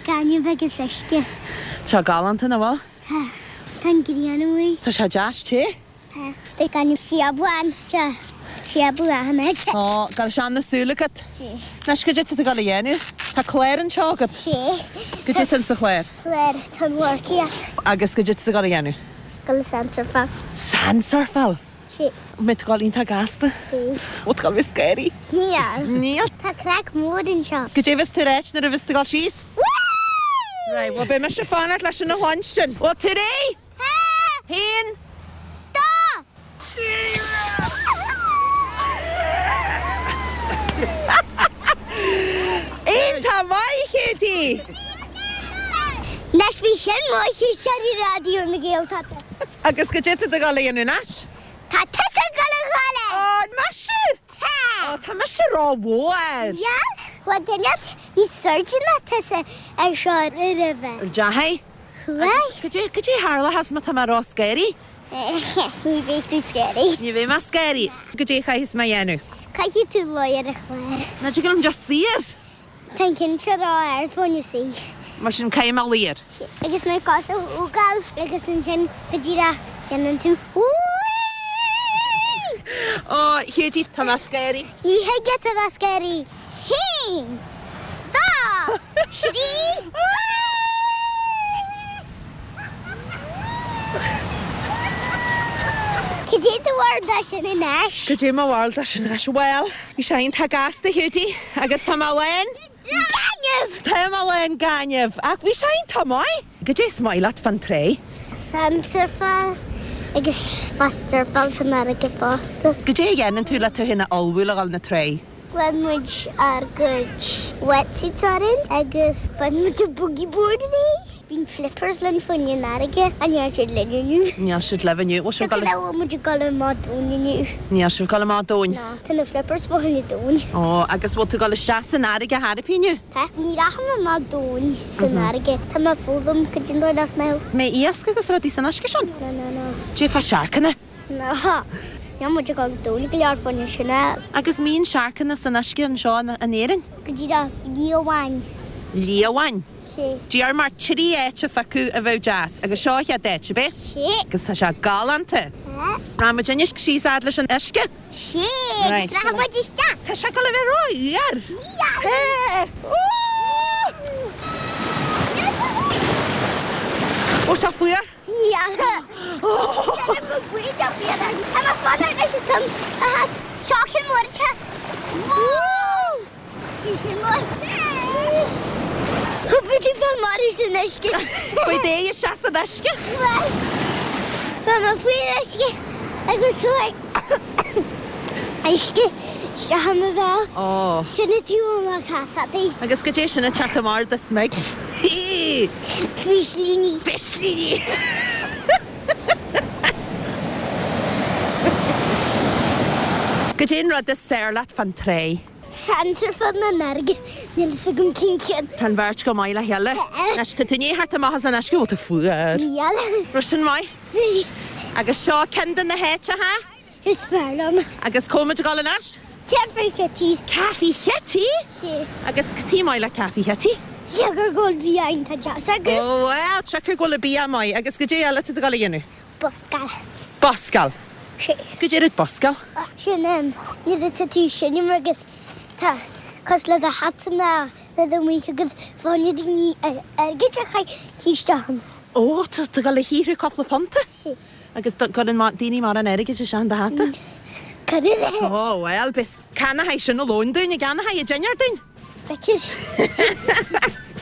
Gaineamh agus uisce. Tá galánta nach bhfuil? Tá. Tá an ghrian amuigh. Tá sé deas te? Tá. Tá gaineamh síobadh Tá síobadh achan áit. Ó, go bhfuil sé na súile agat. Sé. Anois goidé atá tú ag dul a dhéanamh. Tá clár anseo agat. Sé. Goidé atá sa chlár. Clár tá an mharcaíocht. Agus goidé atá tú ag dul a dhéanamh. Dul sandsurfáil. Sandsurfáil? Sé. Mbeidh tú ag dul iontach gasta. Beidh. Bhfuil tú ag dul a bheith scary. Níl. Níl. Tá craic mór anseo. Goidé a bheas tú ag ráit nuair a bheas tú ag dul síos. Right, well beidh mise ag fanacht leis sin a chluinstin. Bhfuil tú réidh? Tá. Haon. Dó. Trí. Iontach maith, Hiúdaí! Anois bhí sin maith ar Raidió na Gaeltachta. Agus goidé atá tú ag dul a dhéanamh anois? Tá tusa ag dul a ghabháil air. Ó, mise? Tá. Ó, tá mise ró-mhór. Níl. Bhuel, duine níos airde ná tusa ar seo roimhe. Deachaigh? Chuaigh. Goidé goidé a tharlóchas má tá mé ró-scary? Ní bheidh tú scary. Ní bheidh mé scary. Goidé a chaithfeas mé a dhéanamh? Caithfidh tú luí ar an chlár. Nach dtig liom just suí air? Tá an ceann seo ró-ard fá choinne suí. Mar sin caithfidh mé luí air. Agus na cosa a thógáil agus ansin go díreach dhéanann tú Whee! Ó, Hiúdaí, tá mé scary. Ní thig leat a bheith scary. Haon, dó, trí, Cad é do bharúil de sin anois? Goidé mo bharúil de sin anois. Well, bhí sé iontach gasta, Hiúdaí, agus tá mé lán. Gaineamh! Tá mé lán gaineamh, ach bhí sé iontach maith. Goidé is maith leat fán trá? Sandsurfáil agus fast surfáil san fharraige fosta. Goidé a dhéanann tú le tú féin a ullmhú le dhul na trá? Bhain muid ár gcuid wetsuits orainn agus bhain muid an boogie board léi. Bíonn flippers linn fá choinne an fharraige ach níl siad linn inniu. Níl siad libh inniu. Bhfuil sibh Go ag dul bhfuil muid ag dul amach domhain inniu. Níl sibh ag dul amach domhain. Ná, tá na flippers fá choinne domhain. Ó, agus bhfuil tú ag dul isteach san fharraige thar inniu? Tá, ní rachaidh mé amach domhain san fharraige. Tá mé ag foghlaim cad é an dóigh le snámh. Mbeidh iasc agus rudaí san uisce sin? No, no, no. Goidé fá sharcanna? No. Níl muid ag dul domhain go leor fá choinne sin. Agus mbíonn sharcanna san uisce anseo in in Éirinn? Go díreach liamháin. Liamháin? Sé. D'iarr mé trí áit a phiocadh a bheadh deas, agus seo an chéad áit, ab é? Sé. Agus tá sé galánta. Tá. Rachaidh muid anois síos fhad leis an uisce? Sé, agus rachaidh muid isteach. Tá sé ag dul a bheith ró-fhuar. Níl. Tá. Ó, sé fuar? Níl. Tá mé buí de fuar. Tá mé fanacht leis an tonn a theacht. Seo ceann mór ag teacht. Bhí sé maith. Bhí tú fá marbh san uisce. Faoi dé isteach san uisce. Bhí mé faoin uisce agus chuaigh uisce isteach i mo bhéal. Ó. Sin an taobh amach casadh. Agus goidé sin ag teacht amach ar do smig. Pislíní. Pislíní! Goidé an rud is fearr leat fán trá. Sandsurfáil san fharraige, níl fhios agam cén ceann. Tá an bheirt go maith le chéile. Anois, tá tú i ndiaidh theacht amach as an uisce, bhfuil tú fuar? Níl. Raibh sin maith? Bhí. Agus seo ceann de na háiteacha? Is fearr liom. Agus cá bhfuil muid ag dul anois? Caife Chití. Caife Chití? Sea. Agus cad tá maith le Caife Chití? Siocair go bhfuil bia iontach deas acu. Ó bhuel, siocair go bhfuil bia maith agus goidé eile atá tú ag dul a dhéanamh? Buscáil. Buscáil? Sea. Goidé rud buscáil? Sin nuair atá tú ag seinm agus tá cosúil le do hata nó le do mhaoth agus faigheann na daoine airgead a chaith isteach ann. Ó, tá tú ag dul a shaothrú cúpla punta? Sea. Agus cuireann daoine mórán airgid isteach in do hata? Cuireann. Ó, bhuel, b'fhéidir ceannóidh sin an lón dúinn, an gceannóidh an dinnéar dúinn? B'fhéidir.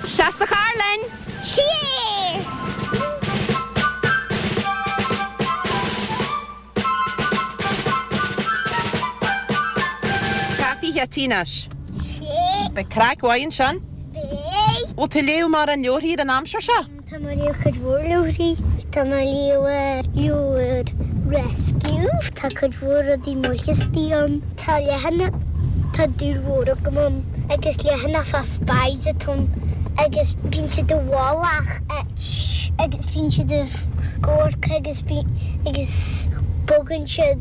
Isteach sa charr linn! Sea! Caife Chití anois. Sea. Beidh craic mhaith ansin. Beidh. Bhfuil tú ag léamh mórán leabharthaí ar an aimsir seo? Tá mé ag léamh cuid mhór leabharthaí. Tá mé ag léamh leabhar Rescue. Tá cuid mhór rudaí maithe istigh ann. Tá leathanach tá dúil mhór agam ann agus leathanach fá spies atá ann agus bíonn siad i bhfolach agus bíonn siad ag amharc agus agus bogann siad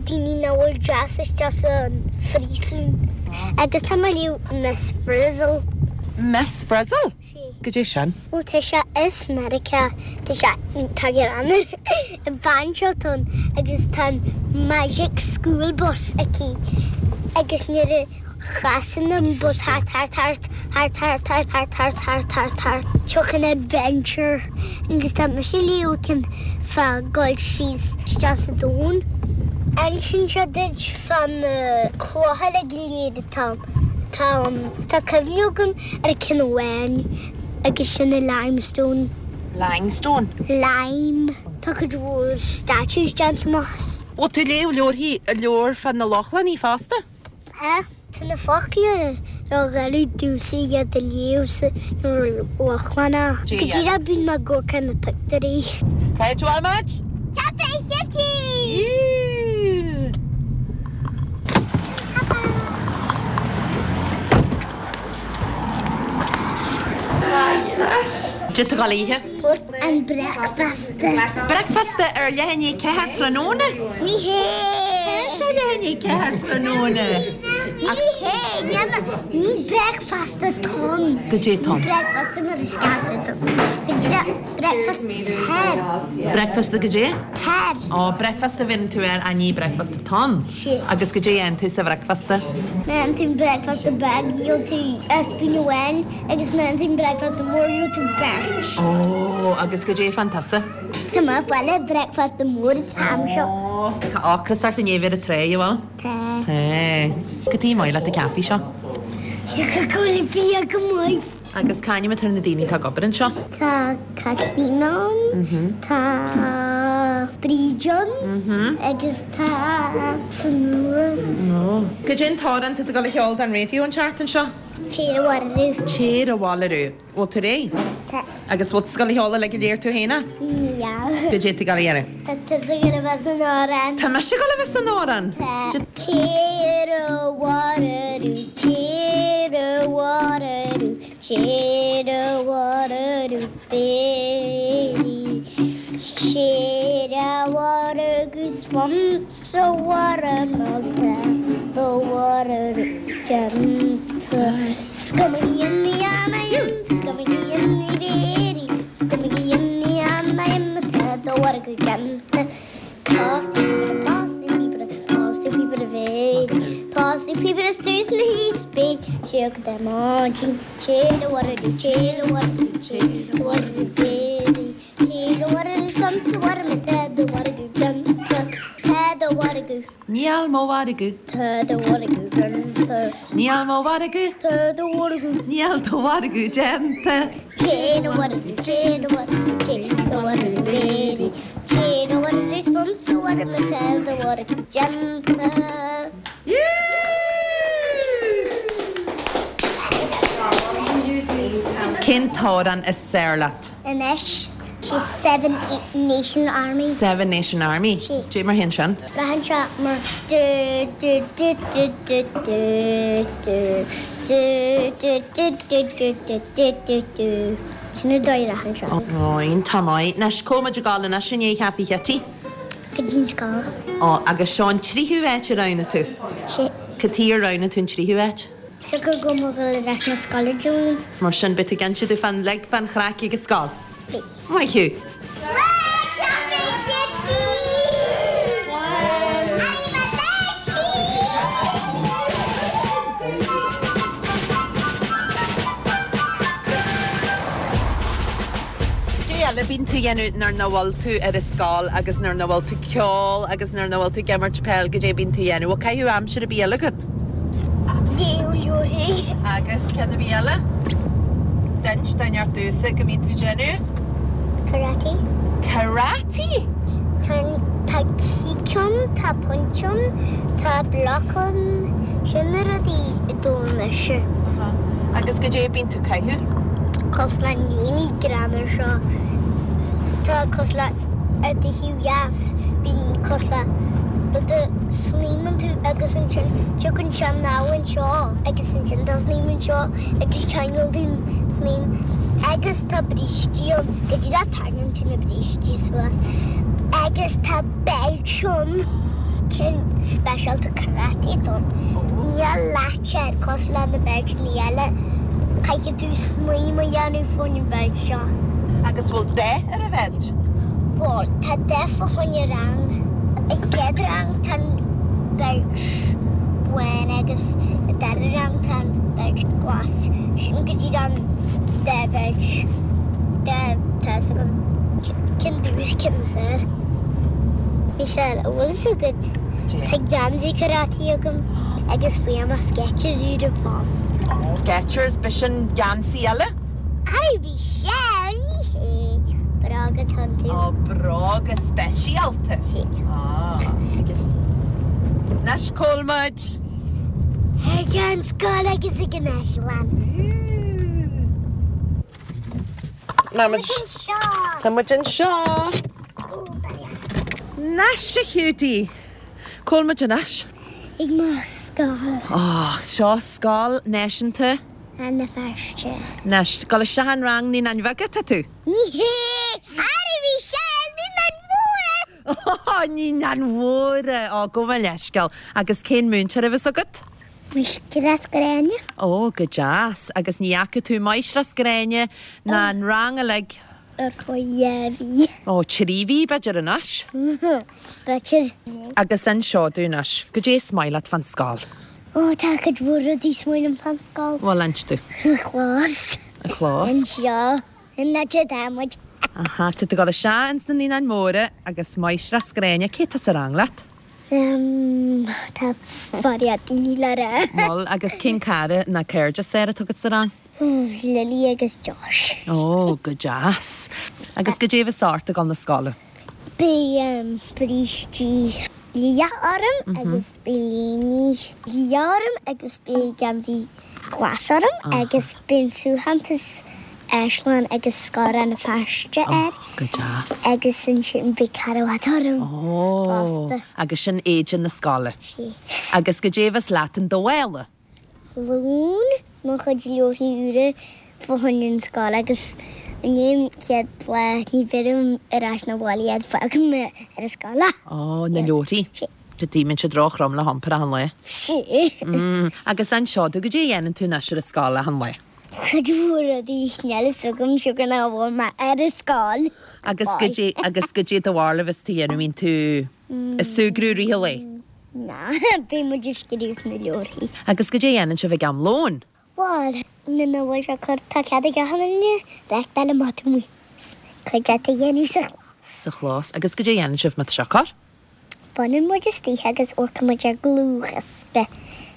daoine nach bhfuil deas isteach san phríosún. Agus tá mé ag léamh Miss Frizzle. Miss Frizzle? Sea. Goidé sin? Bhuel tá sé as Meiriceá, tá sé iontach greannmhar. An bhean seo atá ann agus tá an Magic School Bus aici agus nuair a chasann an bus thart thart thart thart thart thart thart thart thart thart thart tiocfaidh adventure agus tá mise ag léamh ceann fá goil síos isteach sa domhan. Insíonn sé duit fá na clocha uilig go léir atá atá ann. Tá cuimhne agam ar ceann amháin agus sin i Limestone. Limestone? Lime. Tá cuid mhór statues déanta amach as. Bhfuil tú ag léamh leabharthaí, leabhar fá na Lochlannaigh fosta? Tá. Tá na focla ródhoiligh domhsa iad a léamh sa Lochlannach. Go díreach bíonn mé ag amharc ar na pictiúirí. Cá háit a bhfuil muid? Caife Chití! Cad tá tú ag dul a ithe? An bricfeasta. Bricfeasta ar leath i ndiaidh a ceathair tráthnóna? Ní hé! Tá sé leath i ndiaidh a ceathair tráthnóna. Ní hé, ní bricfeasta atá ann. Goidé atá ann? Bricfeasta nuair is ceart atá ann. Goidé bricfeasta tar. Bricfeasta goidé? Tar. Ó, bricfeasta a bhíonn tú air, ach ní bricfeasta atá ann. Sea. Agus goidé a dhéanann tú sa bhricfeasta? Má dhéanann tú bricfeasta beag, gheobhaidh tú ispín amháin agus má dhéanann tú bricfeasta mór, gheobhaidh tú beirt. Ó, agus goidé fán tusa? Tá mé ag fáil bricfeasta mór an t-am seo. Ó, tá ocras ort i ndiaidh a bheith ar an trá, an bhfuil? Tá. Tá. Cad tá maith leat an caife seo? Siocair go bhfuil bia go maith. Agus c'ainm atá ar na daoine atá ag obair anseo? Tá Caitlín ann, tá Bríd ann agus tá Fionnuala. Ó. Goidé an t-amhrán atá tú ag dul a cheol don raidió an tseachtain seo? Téir Abhaile Arú. Téir Abhaile Arú. Bhfuil tú réidh? Tá. Agus bhfuil tú ag dul a cheol uilig go léir tú féin é? Níl. Goidé atá tú ag dul a dhéanamh? Tá tusa ag dul a bheith san amhrán. Tá mise ag dul a bheith san amhrán? Tá. Téir Abhaile Arú, téir Abhaile Arú, téir Abhaile Arú, Béirí. Téir abhaile agus fan sa bhaile má tá do mhargadh déanta. Níl mo mhargadh. Tá do mhargadh déanta. Níl mo mhargadh. Tá do mhargadh. Níl do mhargadh déanta. Téir abhaile, téir abhaile, téir abhaile béirí. Téir abhaile is fan sa bhaile má tá do mhargadh déanta. Cén t-amhrán is fearr leat? Anois. Sé Seven Nation Army. Seven Nation Army? Sé. Dé mar théann sin? Braitheann sé mar du du du du du du du du du du du du du du du du. Sin an dóigh a rachann sé. Ó, iontach maith. Anois, cá bhfuil muid ag dul anois i ndiaidh Chaife Chití? Go dtí an scoil. Ó, agus seo an tríú háit a roghnaigh tú? Sé. Cad chuige ar roghnaigh tú an tríú háit? Siocair go bhfuil mé ag dul ar ais na scoile Dé Luain. Mar sin beidh tú ag inse dúinn fán lig fán chraic ag an scoil. Beidh. Maith thú. Cad é eile a bíonn tú a dhéanamh nuair nach bhfuil tú ar an scoil agus nuair nach bhfuil tú ag ceol agus nuair nach bhfuil tú ag imirt peil, cad é a bíonn tú a dhéanamh? Bhfuil caitheamh aimsire ar bith eile agat? Léamh leabharthaí. Agus ceann ar bith eile? D'inis duine ort domhsa go mbíonn tú ag déanamh? Karate. Karate? Tá tá kick ann, tá punch ann, tá block ann, sin na rudaí a d'fhoghlaim mise. Agus cad é a bíonn tú ag caitheamh? Cosúil le líne greannmhar seo. Tá cosúil le ar do thaobh dheas, bíonn cosúil le rud a snaidhmeann tú agus ansin tiocfaidh sé anall anseo agus ansin tá snaidhm anseo agus ceangal tú an snaidhm agus tá brístí ann go dtí go dtarraingíonn tú na brístí suas agus tá beilt ann. Ceann speisialta karate atá ann. Níl latch air cosúil le na beilteanna eile. Caithfidh tú snaidhm a dhéanamh faoin bheilt seo. Agus bhfuil dath ar an bheilt? Bhuel, tá dath fá choinne rang. A chéad rang tá an beilt bán agus a dara rang tá an beilt glas. Sin go dtí an dá bheilt. Dá tá a fhios agam. Ceann dubh is ceann saor. Michelle, an bhfuil fhios agat? Tá geansaí karate agam agus fuair mé Skechers úra fosta. Skechers, b'shin geansaí eile? Hi Michelle, ní hé. Bróga atá iontu. Ó, bróga speisialta. Sea. Anois, cá bhfuil muid? Ag an scoil agus ag an áislann. Tá muid anseo. Tá muid anseo. Ó, baile. Anois, a Hiúdaí. Cá bhfuil muid anois? Ag mo scoil. Ó, seo Scoil Náisiúnta. Rann na Feirste. Anois, gabháil isteach an rang Naíonáin Bheaga tá tú? Ní hé! Ara Michelle, Naíonáin Mhóra! Ó, Naíonáin Mhóra! Ó, gabh mo leithscéal. Agus cén múinteoir a bheas agat? Máistreás Gráinne. Ó, go deas. Agus ní fhaca tú Máistreás Gráinne ná an rang uilig? Ar feadh dhá mhí. Ó, trí mhí b'fhéidir anois. B'fhéidir. Agus inis domh anois, goidé is maith leat fán scoil? Ó, tá cuid mhór rudaí is maith liom fán scoil. Bhuel, inis domh. An clós. An clós. Anseo. An áit atá muid. Aha, tá tú ag dul isteach ins na Naíonáin Mhóra agus Máistreás Gráinne, cé tá sa rang leat? Um, tá fairí daoine le rá. Bhuel, agus cén cara ná cairde is fearr atá agat sa rang? Lily agus Josh. Ó, go deas. Agus goidé a bheas ort ag dul na scoile? Beidh brístí liath orm agus beidh léine liath orm agus beidh geansaí glas orm agus beidh an suaitheantas Áislann agus Scoil Rann na Feirste air. Go deas. Agus ansin beidh carbhat orm Ó, fosta. agus sin éide na scoile. Sea. Agus goidé a bheas leat in do mhála? Lón, mo chuid leabharthaí úra fá choinne an scoil agus i ndiaidh an chéad lá ní bheirim ar ais 'na bhaile iad fágfaidh mé ar an scoil é. Ó, na leabharthaí. Sea. Go dtí mbíonn siad róthrom le hiompar achan lá. Sea. Mm, agus inis domh goidé a dhéanann tú anois ar an scoil achan lá? Cuid mhór rudaí níl a fhios agam siocair nach bhfuil mé ar an scoil. Agus goidé agus goidé do bharúil a bheas tú a dhéanamh mbíonn tú ag súgradh i rith an lae? Ná, beidh muid ag scríobh sna leabharthaí. Agus goidé a dhéanann sibh ag am lóin? Bhuel, nuair nach bhfuil sé corr tá cead ag achan duine reáchtáil amach amuigh. Cuid de a dhéanamh sa chlós. Sa chlós. Agus goidé a dhéanann sibh má tá sé corr? Baineann muid istoíche agus amharcann muid ar dhlúthdhiosca.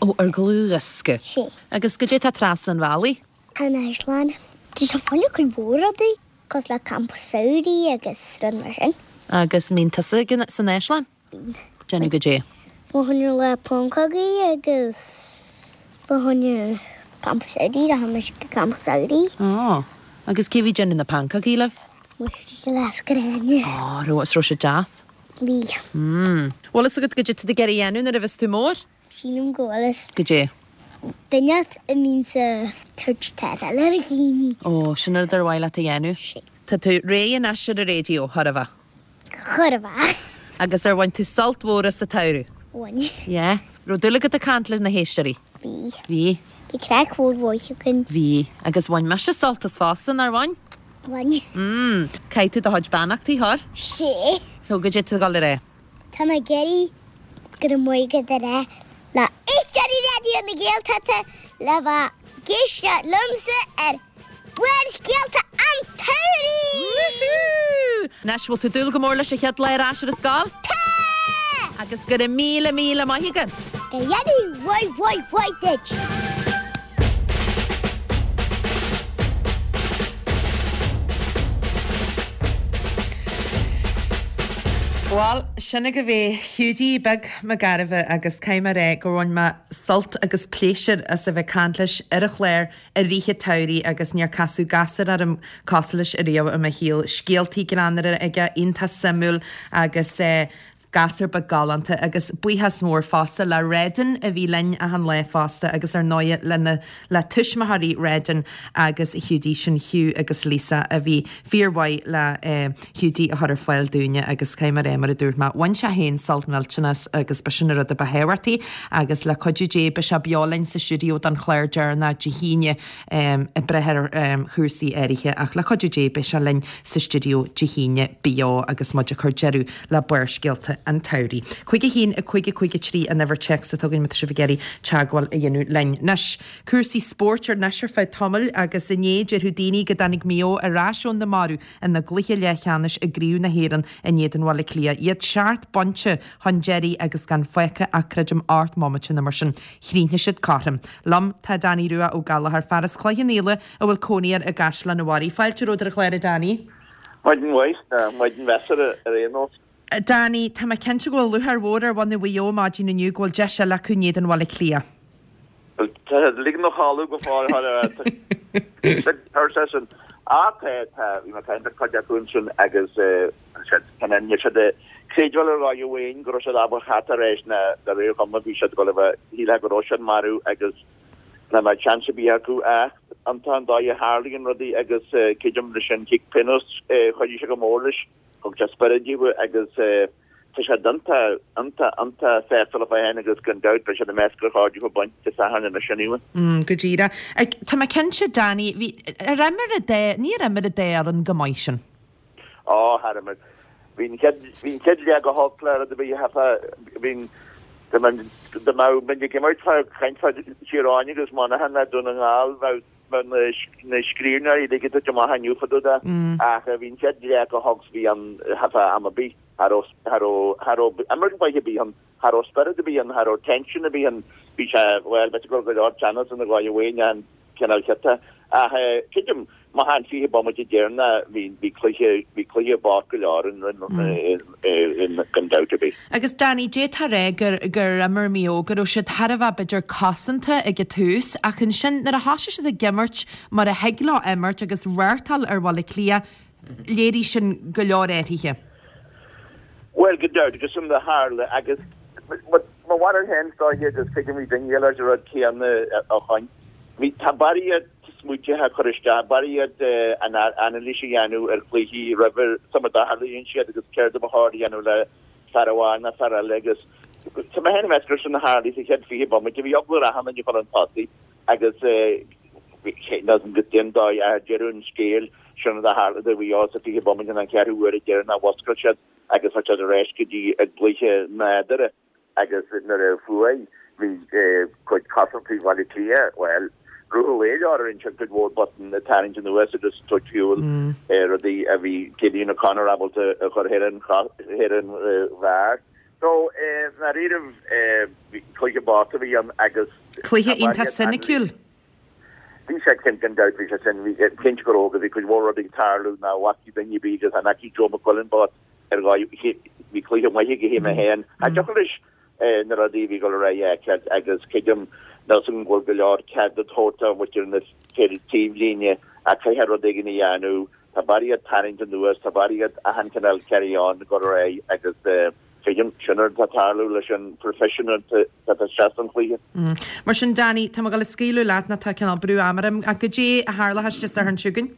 Ó, ar dhlúthdhiosca. Sea. Agus goidé tá trasna an bhealaigh? An Áislann. Tá sé fáinne cuid mhór rudaí, cosúil le campa samhraidh agus rud mar sin. Agus mbíonn tusa ag an, san Áislann? Bíonn. Déanamh goidé? Fá choinne lá pancógaí agus fá choinne campa samhraidh, rachaidh mise go campa samhraidh. Ó, agus cé bhí déanamh na pancógaí libh? Máistreás Gráinne. Ó, raibh, is raibh sé deas? Bhí. Mm. Bhfuil fhios agat goidé tá tú ag iarraidh a dhéanamh nuair a bheas tú mór? Sílim go bhfuil fhios. Goidé? Duine a mbíonn ag tabhairt tarrtháil ar dhaoine. Ó, sin an rud ar mhaith leat a dhéanamh? Sea. Tá tú réidh anois ar an raidió, chóir a bheith? Chóir a bheith. Agus ar bhain tú sult mhór as an tsamhradh? Bhain. Yeah. Raibh dúil agat ag caint leis na héisteoirí? Bhí. Bhí. Bhí craic mhór mhaith againn. Bhí. Agus bhain mise sult as fosta, nár bhain? Bhain. Mm. Caithfidh tú do chuid beannachtaí a chur? Sé. So goidé tá tú ag dul a rá. Tá mé ag iarraidh go raibh maith agat a rá le éisteoirí Raidió na Gaeltachta le bheith ag éisteacht liomsa ar Barrscéalta an tSamhraidh! Woohoo! Anois, bhfuil tú ag dúil go mór leis an chéad lá ar ais ar an scoil? Tá! Agus go raibh míle míle maith agat! Go ndéanaí mhaith mhaith mhaith duit! Bhuel, sin agaibh é, Hiúdaí Beag Mac Gairbheith agus caithfidh mé a rá gur bhain mé sult agus pléisiúr as a bheith ag caint leis ar an chlár i rith an tsamhraidh agus níor casadh gasúr orm cosúil leis ariamh i mo shaol. Scéaltaí greannmhara aige, iontach suimiúil agus eh, gasúr beag galánta agus buíochas mór fosta le Redin a bhí linn achan lá fosta agus ar ndóighe lena le tuismitheoirí Redin agus Hiúdaí, sin Hugh agus Lisa a bhí fíormhaith le Hiúdaí a chur ar fáil dúinne agus caithfidh mé a rá mar a dúirt mé, bhain sé féin sult millteanach as agus b'shin an rud a ba thábhachtaí agus le cuidiú Dé beidh sé beo linn sa stiúideo don chlár deireanach Dé hAoine ag brath ar chúrsaí áirithe ach le cuidiú Dé beidh sé linn sa stiúideo Dé hAoine beo agus muid ag cur deireadh le Barrscéalta an tSamhraidh. Cúig a haon, a cúig, a cúig a trí an uimhir téacs atá againn má tá sibh ag iarraidh teagmháil a dhéanamh linn. Anois, cúrsaí spóirt ar anois ar feadh tamaill agus inné déarfadh daoine go dtáinig Maigh Eo ar ais ó na mairbh ina gcluiche leathcheannais i gCraobh na hÉireann in éadan Bhaile Átha Cliath. Iad seacht bpointe chun deiridh agus gan fágtha ach creidim ocht mbomaite nó mar sin. Chríochnaigh siad cothrom. Liom tá Danny Rua Ó Gallchóir, fear as Cloich Cheann Fhaola a bhfuil cónaí air i gCaisleán an Bharraigh. Fáilte romhat ar an chlár a Danny. Maidin mhaith, nó maidin mheasartha ar aon nós. Danny, tá mé cinnte go bhfuil lúcháir mhór ar bhunadh Mhaigh Eo maidin inniu go bhfuil deis eile acu in éadan Bhaile Átha Cliath. Bhuel, tá siad ag ligean a chodladh go fóill thar seisean. Á, tá, tá, bhí mé ag caint le cuid acu ansin agus níl siad ag creidbheáil ar dhóigh amháin go raibh siad ábalta theacht ar ais ná de réir chuma bhí siad ag dul a bheith, shílfeá go raibh siad marbh agus nach mbeadh seans ar bith acu ach an tá an dóigh a tharlaíonn rudaí agus creidim leis an chic pionóis, chuidigh sé go mór leis. Thug sé spiorad daofa agus tá siad iontach, iontach, iontach sásta leo féin agus gan dabht beidh siad i measc gur chóir daofa baint Dé Sathairn anois sin iad. Mm, go díreach. Tá mé cinnte, Danny, bhí, ar imir an dá, níor imir an dá fhoireann go maith sin? Ó, char imir. Bhí an chéad, bhí an chéad leath go holc le rud ar bith a cheapfá, bhí an, dá mbeadh, dá mbeadh muid ag imirt fá, caint fá Tír Eoghain agus Monaghan le Dún na nGall, bheadh, Bheadh na scríbhneoirí uilig ag titim amach inniu fá dtaobh de ach bhí an chéad leath go holc bhí an cheapfá am ar bith, cha raibh, cha raibh, cha raibh imirt mhaith ar bith ann, cha raibh spiorad ar bith ann, cha raibh tension ar bith ann, bhí sé, bhuel, b'fhéidir go raibh go leor teannas ina dhóigh amháin an cineál chiota ach creidim má thagann fiche bomaite deireanach bhí, bhí cluiche, bhí cluiche bocht go leor ann gan dabht ar bith. Agus Danny, d'fhéadfá a rá gur, gur imir Maigh Eo, go raibh siad thar a bheith b'fhéidir cosanta ag an tús ach ansin nuair a thosaigh siad ag imirt mar a thig leo imirt agus reáchtáil ar Bhaile Átha Cliath, léirigh sin go leor athruithe. Bhuel, gan dabht, agus sin a tharla agus mo bharúil féin is dóiche agus creidim bhí duine eile an rud céanna ó shoin. Bhí, tá barraíocht smaointe á cur isteach, barraíocht anailís a dhéanamh ar chluichí roimhe sula dtarlaíonn siad agus céard a ba chóir a dhéanamh le fear amháin nó fear eile agus tá mé féin ag meas gur sin a tharlaigh sa chéad fiche bomaite. Bhí eagla ar achan duine a chur chun tosaigh agus go dóigh ar deireadh an scéil sin rud a tharla do Mhaigh Eo sa fiche bomaite an ceathrú uair deireanach mhuscail siad agus chuir siad ar ais go dtí a gcluiche nádúrtha. Agus nuair a fuaigh, bhí cuid cosantaí Bhaile Átha Cliath, bhuel, rith an lae leo ar ansin cuid mhór botún ag tarraingt anuas agus tabhairt ar shiúl rudaí a bhí Cillian O'Connor ábalta a chur thar an thar an bharr. So, i ndáiríribh, cluiche bocht a bhí ann agus. Cluiche iontach soiniciúil. Bhí sé cinnte, gan dabht, bhí sé sin, bhí cinnte go raibh agus bhí cuid mhór rudaí ag tarlú nach bhfaca duine ar bith agus an fhaca Joe McQuillan bocht ar dhóigh, bhí cluiche maith aige mé féin. Cha dtiocfadh leis na rudaí a bhí ag dul ar aghaidh a fheiceáilt agus creidim níl 's agam go bhfuil go leor cead á thabhairt do mhuintir na taobhlíne ach caithfidh rud éigin a dhéanamh. Tá barraíocht tarraingt anuas, tá barraíocht achan chineál carry on ag dul ar aghaidh agus creidim sin an rud atá ag tarlú leis an proifisiúnta atá isteach san chluiche. Mar sin Danny, tá mé ag dul a scaoileadh leat nó tá cineál brú ama orm ach goidé a tharlóchas Dé Sathairn seo chugainn?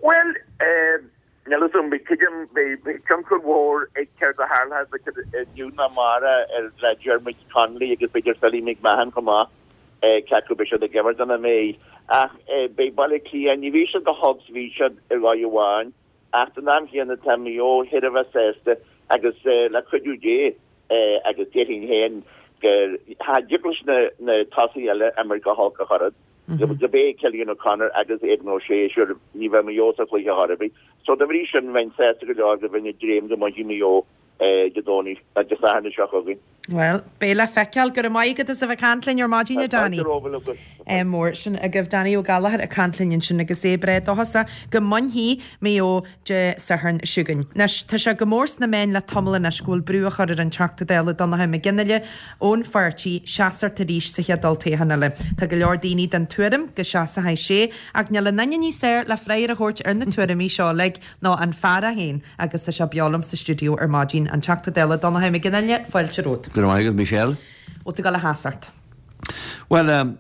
Bhuel, eh. Níl a fhios agam, creidim, beidh tionchar mhór ag céard a tharlóidh inniu nó amárach ar le Diarmuid Connolly agus b'fhéidir Philly McMahon chomh maith, cé acu beidh siad ag imirt nó nach mbeidh. Ach beidh Baile Átha Cliath, ní bhí siad chomh holc is a bhí siad ar dhóigh amháin, ach don am chéanna tá Maigh Eo thar a bheith sásta agus le cuidiú Dé agus déarfainn féin gur cha dtig leis na tosaithe eile imirt chomh holc ach oiread. Go bé Cillian O'Connor agus Aidan O'Shea, sure, ní bheidh Maigh Eo sa chluiche chor ar bith. So dá bhrí sin bheinn sásta go leor go bheinn ag dréim go mbainfidh Maigh Eo Dé Domhnaigh, Dé Sathairn seo chugainn. Bhuel, beidh le feiceáil. Go raibh maith agat as a bheith ag caint linn ar maidin, a Danny. Mór sin agaibh Danny Ó Gallchóir ag caint linn ansin agus é breá dóchasach go mbainfidh Maigh Eo Dé Sathairn seo chugainn. Anois, tá sé go mór sna meáin le tamall anois go bhfuil brú á chur ar an Teachta Dála Donnchadh Mac Fhionnghaile ón pháirtí seasacht arís sa chéad olltoghchán eile. Tá go leor daoine den tuairim go seasfaidh sé ach níl aon duine níos fearr le freagra a thabhairt ar na tuairimí seo uilig ná an fear é féin agus tá sé beo liom sa stiúideo ar maidin, an Teachta Dála Donnchadh Mac Fhionnghaile, fáilte romhat. Go raibh maith agat, Michelle. Bhfuil tú ag dul a sheasacht? Bhuel,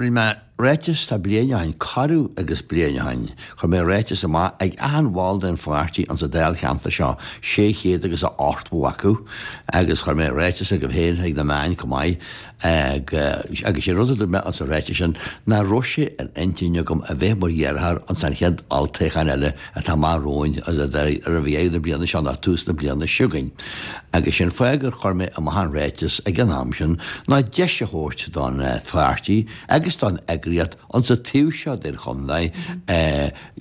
rinne mé ráiteas tá bliain ó shin, corradh agus bliain ó shin, chuir mé ráiteas amach ag achan bhall den pháirtí insa dáilcheantar seo, sé chéad agus a ochtó acu, agus chuir mé ráiteas agaibh féin chuig na meáin chomh maith, agus sé rud a dúirt mé insa ráiteas sin nach raibh sé ar intinn agam a bheith mar iarrthóir ins an chéad olltoghchán eile atá amach romhainn roimh dheireadh na bliana seo nó tús na bliana seo chugainn. Agus sé'n fáth gur chuir mé amach an ráiteas ag an am sin ná deis a thabhairt don pháirtí agus don eagraíocht insa taobh seo den chontae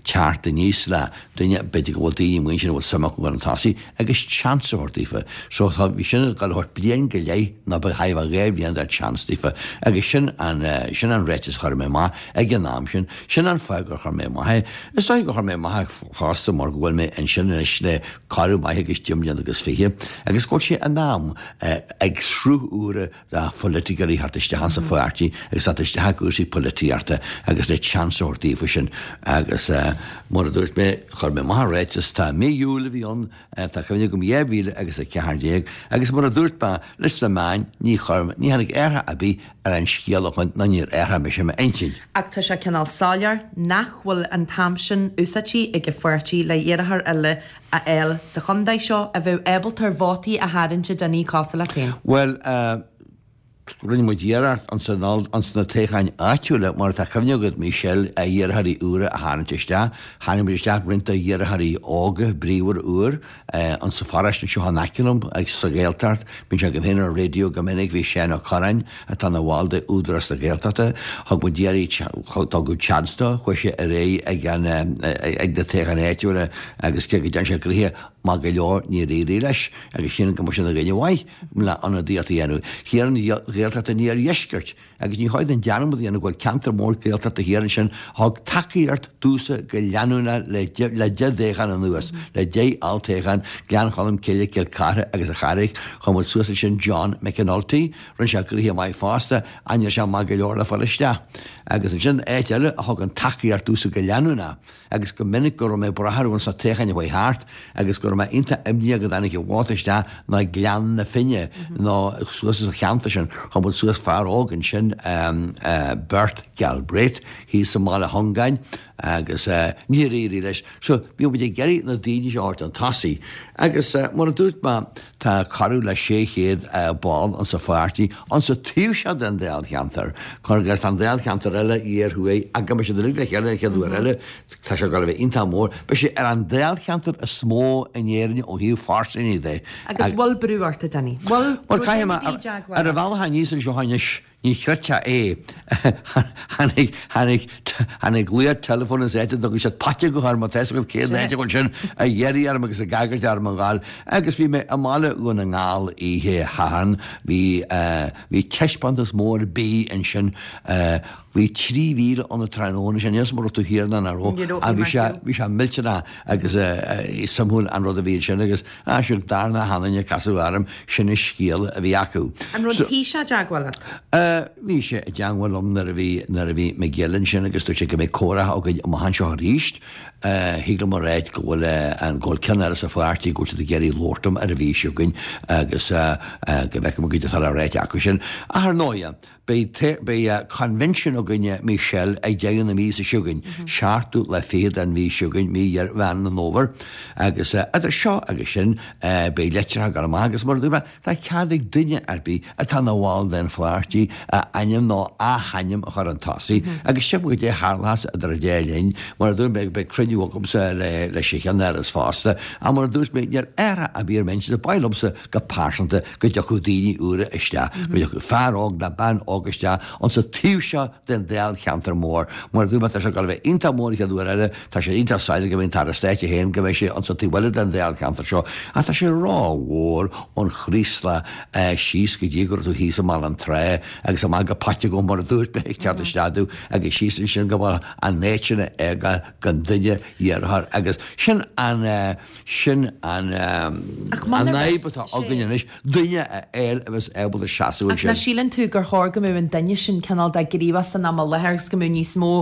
teacht aníos le duine, b'fhéidir go bhfuil daoine amuigh ansin a bhfuil suim acu chun tosaigh agus chance a thabhairt daofa. So tá, bhí sin ag dul a thabhairt bliain go leith nó ba chóir a bheith dhá bhliain de chance daofa agus sin an, sin an ráiteas a chuir mé amach ag an am sin. Sin an fáth gur chuir mé amach é. Is dóigh gur chuir mé amach é fosta mar go bhfuil mé ansin anois le corradh maith agus deich mbliana agus fiche agus go bhfuil sé in am ag sruth úr de pholaiticeoirí theacht isteach insa pháirtí agus theacht isteach i gcúrsaí polaitíochta agus le chance a thabhairt daofa sin agus mar a dúirt mé, chuir mé amach an ráiteas, tá mí Iúil a bhí ann, tá cuimhne agam dhá mhíle agus a ceathair déag agus mar a dúirt mé leis na meáin, ní chuir, ní tháinig athrach ar bith ar an scéal ó shin ná níor athraigh mise m'intinn. Ach tá sé cineál soiléir nach bhfuil an t-am sin úsáidte ag an pháirtí le iarrthóir eile a fháil sa chontae seo a bheadh ábalta ar vótaí a tharraingt do dhaoine cosúil leat féin. Bhuel, rinne muid iarracht ins na toghcháin áitiúla, mar atá cuimhne agat, Michelle, iarrthóirí úra a tharraingt isteach. Tharraing muid isteach roinnt de iarrthóirí óga, bríomhar úr, ins an pharóiste anseo in aice liom, sa Ghaeltacht. Bíonn sé agam féin ar an raidió go minic, bhí Seán Ó Curráin, atá ina bhall de Údarás na Gaeltachta, thug muid iarraidh, tugadh chance dó, chuaigh sé ar aghaidh ag an, ag na toghcháin áitiúla agus cé go dtearn sé gnoithe maith go leor níor éirigh leis agus sílim go mbeadh sé ina dhuine mhaith le ionadaíocht a dhéanamh thiar an Ghaeltacht an Iardheiscirt agus ní chóir dúinn dearmad a dhéanamh go bhfuil ceantar mór Gaeltachta thiar ansin a thug tacaíocht domhsa go leanúnach le le deich dtoghchán anuas, le deich olltoghchán, Gleann Cholm Cille, Cill Chartha agus an Charraig, chuir muid suas ansin John McAnulty, rinne sé gnoithe maith fosta ach ní raibh sé maith go leor le fáil isteach. Agus ansin áit eile a thugann tacaíocht domhsa go leanúnach agus go minic go raibh mé ag brath orthu sna toghcháin a chuaigh thart agus go raibh mé iontach imníoch go dtáinig an vóta isteach ná Gleann na Finne nó suas sa cheantar sin. Chuir muid suas fear óg ansin, Bert Galbraith, thíos i mBaile Chongáin agus níor éirigh leis. So bhí muid ag iarraidh na daoine seo a thabhairt chun tosaigh agus mar a dúirt mé tá corradh le sé chéad ball insa pháirtí insa taobh seo den dáilcheantar. Agus tá an dáilcheantar eile thiar thuaidh ach go mbeidh siad uilig le chéile an chéad uair eile, tá sé ag dul a bheith iontach mór. Beidh sé ar an dáilcheantar is mó in Éirinn ó thaobh phairsinní de. Agus bhfuil brú ort, a Danny? Bhfuil Bhuel, caithfidh mé, ar an bhealach aníos anseo anois, ní chreidfeá é, tháinig, tháinig, tháinig glao teileafóin as áit a dtugann siad Paiteagó air, má tá fhios agat cén áit a bhfuil sin, ag iarraidh orm agus ag agairt orm a ghabháil. Agus bhí mé i mBaile Dhún na nGall oíche Shathairn, bhí, bhí taispeántas mór bídh ansin, bhí trí mhíle ann an tráthnóna sin, níl 'fhios a'm an raibh tú thiar ná nach raibh, ach bhí sé, bhí sé millteanach agus suimiúil an rud a bhí ansin agus ah sure dar na hanainne casadh orm, sin an scéal a bhí acu. An raibh an Taoiseach i dteagmháil leat? Bhí sé i dteangmháil liom nuair a bhí nuair a bhí McGill ansin agus dúirt sé go mbeidh comhrá againn amach anseo arís. Thig liom a ráit go bhfuil an go bhfuil ceannáras an pháirtí go bhfuil siad ag iarraidh labhairt liom ar an mhí seo chugainn agus go bhfeicfidh muid goidé atá le ráit acu sin. Ach ar ndóighe, beidh beidh convention againne Michelle ag deireadh na míosa seo chugainn, seachtú lá fichead den mhí seo chugainn, mí Mheán an Fhómhair, agus idir seo agus sin beidh litreacha ag dul amach agus mar a dúirt mé, tá cead ag duine ar bith atá ina bhall den pháirtí a ainm nó a hainm a chur chun tosaigh agus tchífidh muid goidé a tharlós idir an dá linn. Mar a dúirt mé, beidh cruinniú agamsa leis an cheannáras fosta ach mar a dúirt mé, níl athrach ar bith ar m'intinn, ba mhaith liomsa go pearsanta go dtiocfadh daoine úra isteach, go dtiocfadh fear óg nó bean óg isteach insa taobh seo den dáilcheantar mór. Mar a dúirt mé, tá sé ag dul a bheith iontach mór an chéad uair eile, tá sé iontach soiléir go mbeidh an tAire Stáit é féin, go mbeidh sé insa taobh eile den dáilcheantar seo, ach tá sé rómhór ón Chraoslach síos go dtí go raibh tú thíos i mBaile an Trá agus amach go Paiteagó mar a dúirt mé ag teacht isteach domh agus síos ansin go bhfuil an áit sin a fhágáil don duine iarrthóir agus sin an sin an an fhadhb atá againn anois, duine a fháil a bheas ábalta seasamh Ach nach ansin. síleann tú gur chóir go mbeadh an duine sin cineál de gníomhach san am i láthair agus go mbeadh níos mó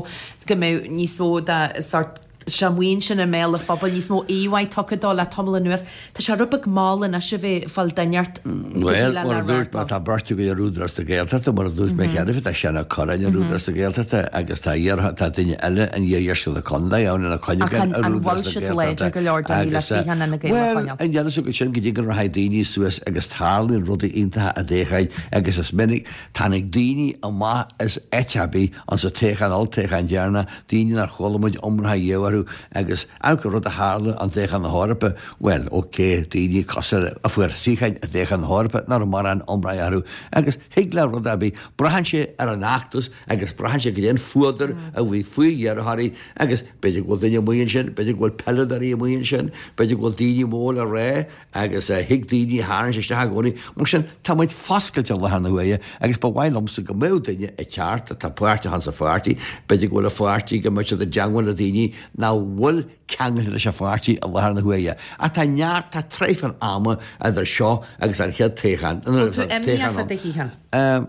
go mbeadh níos mó de sort sé maoin sin i mbéal an phobail, níos mó íomhá tugtha dó le tamall anuas. Tá sé rud beag mall anois a bheith ag fáil duine ort go dtí Bhuel, le mar a le dúirt mé, radharc. tá beirt againn ar Údarás na Gaeltachta, mar a dúirt mé cheana féin, tá Seán Ó Cuirreáin ar Údarás na Gaeltachta agus tá iarrthóir, tá duine eile in iardheisceart na contae ann ina Ach choinne an ar an Údarás bhfuil na siad láidir Gaeltachta go leor daoine le agus suíochán Fhine Gael a bhuel, choinneáil? an deireadh go sin go dtí go rachaidh daoine suas agus tarlaíonn rudaí iontacha i dtoghcháin agus is minic tháinig daoine amach as áit ar bith ansa toghchán olltoghchán deireanach, daoine nár chuala muid iomrá riamh orthu agus amharc ar rud a tharla an toghchán na hEorpa, bhuel, ok, daoine cosúil a fuair suíocháin i dtoghchán na hEorpa nach raibh mórán iomrá orthu agus thig le rud ar bith, braitheann sé ar an fheachtas agus braitheann sé goidé an fuadar a bhí faoi iarrthóirí agus b'fhéidir go bhfuil duine amuigh ansin, b'fhéidir go bhfuil peileadóirí amuigh ansin, b'fhéidir go bhfuil daoine mór le rá agus thig daoine a tharraingt isteach i gcónaí. Mar sin, tá muid foscailte i láthair na huaire agus ba mhaith liomsa go mbeadh duine ag teacht atá páirteach insa pháirtí, b'fhéidir go bhfuil an pháirtí, go mbeadh siad i dteangmháil le daoine nach bhfuil ceangailte leis an pháirtí i láthair na huaire. Ach tá neart, tá traidhfil ama idir seo agus an chéad toghchán, Bhfuil tú imníoch fá do shuíochán?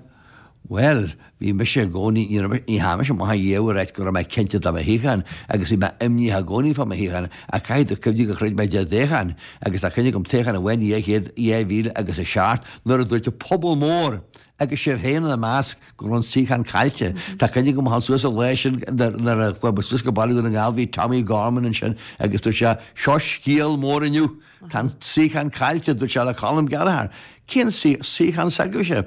Bhuel, bhí mise i gcónaí, ní raibh, ní theachaigh mise amach ariamh ag ráit go raibh mé cinnte de mo shuíochán agus bhí mé imníoch i gcónaí fá mo shuíochán ach caithfidh tú cuimhniú gur throid mé deich dtoghchán agus tá cuimhne agam toghchán amháin i dhá chéad, dhá mhíle agus a seacht nuair a dúirt an pobal mór agus sibh féin ina measc go raibh an suíochán caillte. Tá cuimhne agam a dhul suas an lá sin nuair a chuaigh mé suas go Baile Dhún na nGall bhí Tommy Gorman ansin agus dúirt sé seo scéal mór inniu, tá an suíochán caillte, dúirt sé le Colm Gallagher. Cén suíochán s'agaibhse?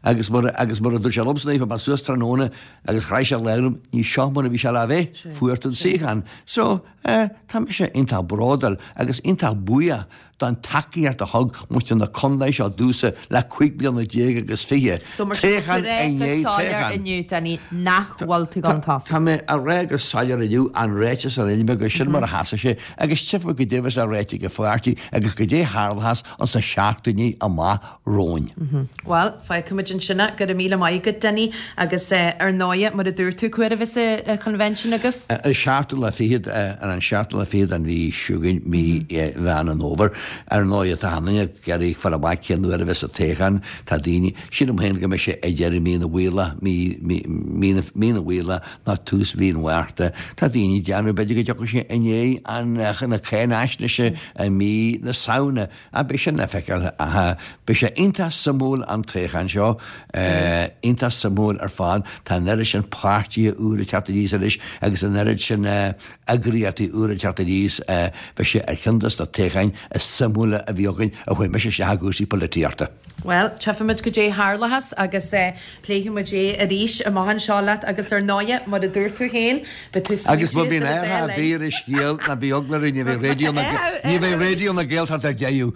Agus mar agus mar a dúirt sé liomsa nuair a bhí mé suas tráthnóna agus chraith sé lámh liom, ní seo mar a bhí sé le bheith, fuair tú an suíochán. So, eh, tá mise iontach bródúil agus iontach buíoch don tacaíocht a thug muintir na contae seo domhsa le cúig bliana déag agus fiche, So mar sin, toghchán tá tú i ag rá go ndiaidh soiléir toghcháin. inniu, Denis, nach bhfuil tú gan tosaí. Tá mé a rá go soiléir inniu an ráiteas a rinne mé gur sin mar a sheasfaidh sé agus tchífidh muid goidé a bheas le ráite ag an pháirtí agus goidé a tharlóchas ins na seachtainí amach romhainn. Bhuel, fágfaimid ansin é. Go raibh míle maith agat, Denis, agus ar ndóigh, mar a dúirt tú, cá huair a bheas an convention agaibh? An seachtú lá fichead, ar an seachtú lá fichead den mhí seo chugainn, mí Mheán an Fhómhair. Ar ndóigh, tá achan duine ag iarraidh fáil amach cén uair a bheas an toghchán. Tá daoine, sílim féin go mbeidh sé ag deireadh mí na bhFaoilleach, mí, mí, mí na, mí na bhFaoilleach nó tús mhí an Mhárta. Tá daoine ag déanamh, b'fhéidir go dtiocfaidh sé i ndiaidh an, na cáinaisnéise i mí na Samhna. Ach beidh sin le feiceáil. Ach beidh sé iontach suimiúil an toghchán seo, iontach suimiúil ar fad. Tá an oiread sin páirtithe úra ag teacht aníos anois agus an oiread sin eagraíochtaí úra ag teacht aníos. Beidh sé ar cheann de na toghcháin is suimiúla a bhí againn ó chuaigh mise isteach i gcúrsaí polaitíochta. Bhuel, tchífimid goidé a tharlóchas agus pléifimid é arís amach anseo leat agus ar ndóighe, mar a dúirt tú féin, beidh tú Agus má smaointe bhíonn idir an athrach dá ar linn. bith ar an scéal, ná bíodh eagla orainn, ní bheidh Raidió na ní bheidh Raidió na Gaeltachta ar deireadh.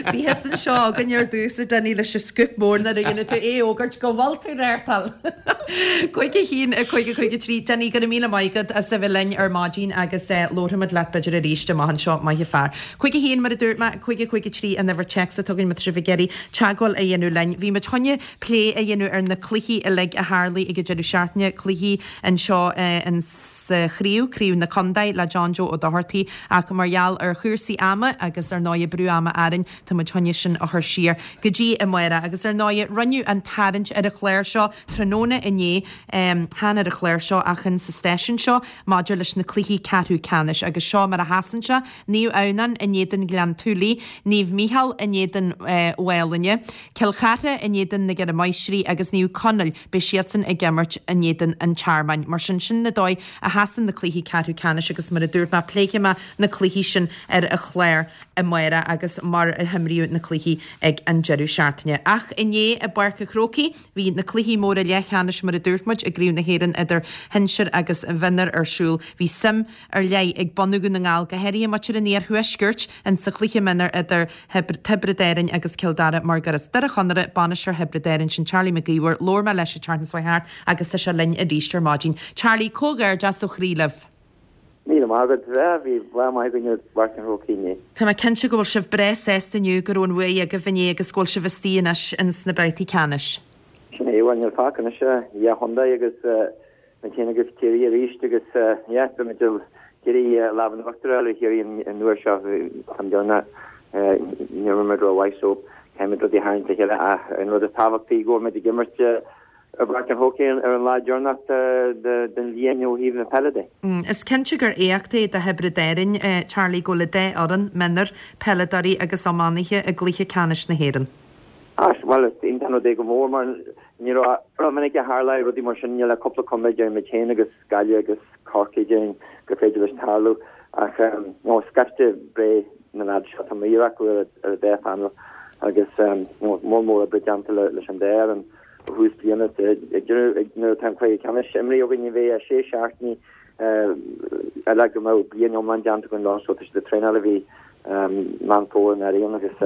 Bhíothas anseo againn ar dtús, a Denis, leis an scúp mór nuair a dhéanfaidh tú é a fhógairt go bhfuil tú reáchtáil. Cúig a haon, a cúig a cúig a trí. Denis, go raibh míle maith agat as a bheith linn ar maidin agus labharfaimid leat b'fhéidir arís amach anseo, maith an fear. Cúig a haon, mar a dúirt mé, cúig a cúig a trí an uimhir téacs atá againn má tá sibh ag iarraidh teagmháil a dhéanamh linn. Bhí muid chun plé a dhéanamh ar na cluichí uilig a tharlaigh ag an deireadh seachtaine, cluichí anseo in sa chraobh, craobh na contae le John Joe Ó Dochartaigh ach mar gheall ar chúrsaí ama agus ar ndóigh brú ama orainn tá muid chun sin a chur siar go dtí amárach agus ar ndóigh rinneadh an tarraingt ar an chlár seo tráthnóna inné, chan ar an chlár seo ach in sa stáisiún seo maidir leis na cluichí ceathrú ceannais agus seo mar a sheasann sé, Naomh Adhamhnáin in éadan Ghleann tSúilí, Naomh Mícheál in éadan Mhálainne, Cill Chartha in éadan na gCeithre Máistrí agus Naomh Conaill, beidh siadsan ag imirt in éadan an Tearmainn. Mar sin, sin na dóigh a sheasann na cluichí ceathrú ceannais agus mar a dúirt mé, pléifidh mé na cluichí sin ar an chlár amárach agus mar a himríodh na cluichí ag an deireadh seachtaine. Ach inné i bPáirc an Chrócaigh, bhí na cluichí móra leathcheannais mar a dúirt muid i gCraobh na hÉireann idir shinsir agus mhionúir ar siúl. Bhí suim ar leith ag bunadh Dhún na nGall, go háirithe muintir an iarthuaiscirt, in sa chluiche mionúir idir Tiobraid Árann agus Cill Dara mar gur as Doire Chonaire bainisteoir Thiobraid Árann, sin Charlie Mac Íomhair. Labhair mé leis an tseachtain seo thart agus tá sé linn arís ar maidin. Charlie, comhghairdeas ó chroí libh. Míle maith agat. Bhí lá maith againn i bPáirc an Chrócaigh inné. Tá mé cinnte go bhfuil sibh breá sásta inniu go raibh an bhuaidh agaibh inné agus go bhfuil sibh istigh anois ins na babhtaí ceannais. Sin é, bhuel níl fágtha anois ach dhá chontae agus muid féin agus Ciarraí arís agus yeah beimid ag iarraidh lámh in uachtar a fháil ar Chiarraí an uair seo. An t-am deireanach níor imir muid rómhaith so caithfimid rudaí a tharraingt le chéile ach an rud is tábhachtaí go bhfuil muid ag imirt i bPáirc an Chrócaigh ar an lá deireanach den bhliain ó thaobh na peile de. Is cinnte gur éacht é do Thiobraid Árann, Charlie, go bhfuil an dá fhoireann, mionúir, peileadóirí agus iománaithe i gcluiche ceannais na hÉireann. Á, bhuel, is iontach an rud é go mór mar ní rómhinic a tharla rudaí mar sin, níl ach cúpla contae, déarfainn muid féin agus Gaillimh agus Corcaigh, déarfainn gur féidir leis tarlú ach nó scaifte breá na leaids seo, tá mír acu ar an dá phainéal agus moll mór oibre déanta leis an dá fhoireann. Ó thús bliana, ag deireadh, nuair atá an cluiche ceannais imrithe againn, ní bheidh ach sé seachtainí eile go mbeadh bliain iomlán déanta againn leo so tá siad ag traenáil ó bhí Meán Fómhair anuraidh agus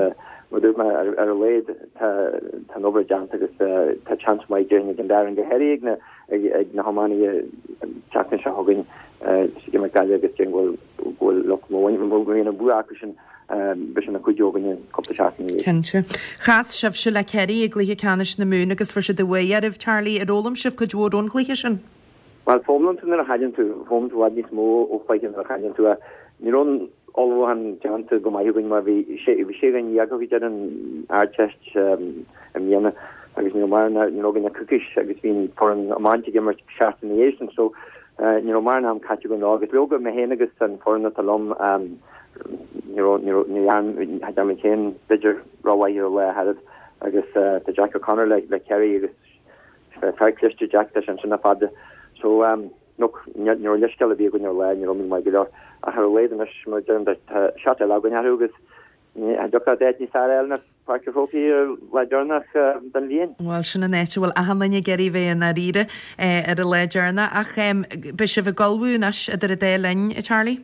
mar a dúirt mé ar a laghad tá an obair déanta agus tá seans maith déarfainn ag an dá fhoireann go háirithe ag na ag na hiománaithe an tseachtain seo chugainn ag imirt Gaillimh agus déarfainn go bhfuil go bhfuil lucht mór má bhíonn an bua acu sin Beidh sé ina chuidiú againne cúpla seachtain ina dhiaidh. Cinnte. Chas sibhse le Ciarraí i gcluiche ceannais na Mumhan agus fuair siad an bhuaidh oraibh, Charlie. Ar fhoghlaim sibh cuid mhór ón gcluiche sin? Bhuel, foghlaimíonn tú nuair a chailleann tú. Foghlaimíonn tú i bhfad níos mó ó chluiche nuair a chailleann tú. Ní raibh an ullmhúchán déanta go maith againn mar bhí sé bhí sé dhuine dhéag acu ar an Ardteist i mbliana agus ní raibh mórán ní raibh againn ach coicís agus bhí an foireann iomáint ag imirt seachtain ina dhiaidh sin so ní raibh mórán am caite againn leo agus leoga mé féin agus an foireann atá liom Ní raibh, ní raibh, ní dhearn, cha dtearn muid féin b'fhéidir rómhaith ar an lá ach oiread agus tá Jack O'Connor le, le Kerry agus fear cliste Jack, tá sé ansin le fada. So, look, ní raibh leithscéal ar bith againn ar an lá, ní raibh muid maith go leor. Ach ar a laghad anois, mar a deirim, tá seat eile againn orthu agus cha dtiocfadh leat áit níos fearr a fháil ná Páirc an Chrócaigh ar an lá deireanach den bhliain. Bhuel, sin an áit a bhfuil achan duine ag iarraidh bheith i ndáiríre ar an lá deireanach. Ach beidh sibh ag ullmhú anois idir an dá linn, a Charlie?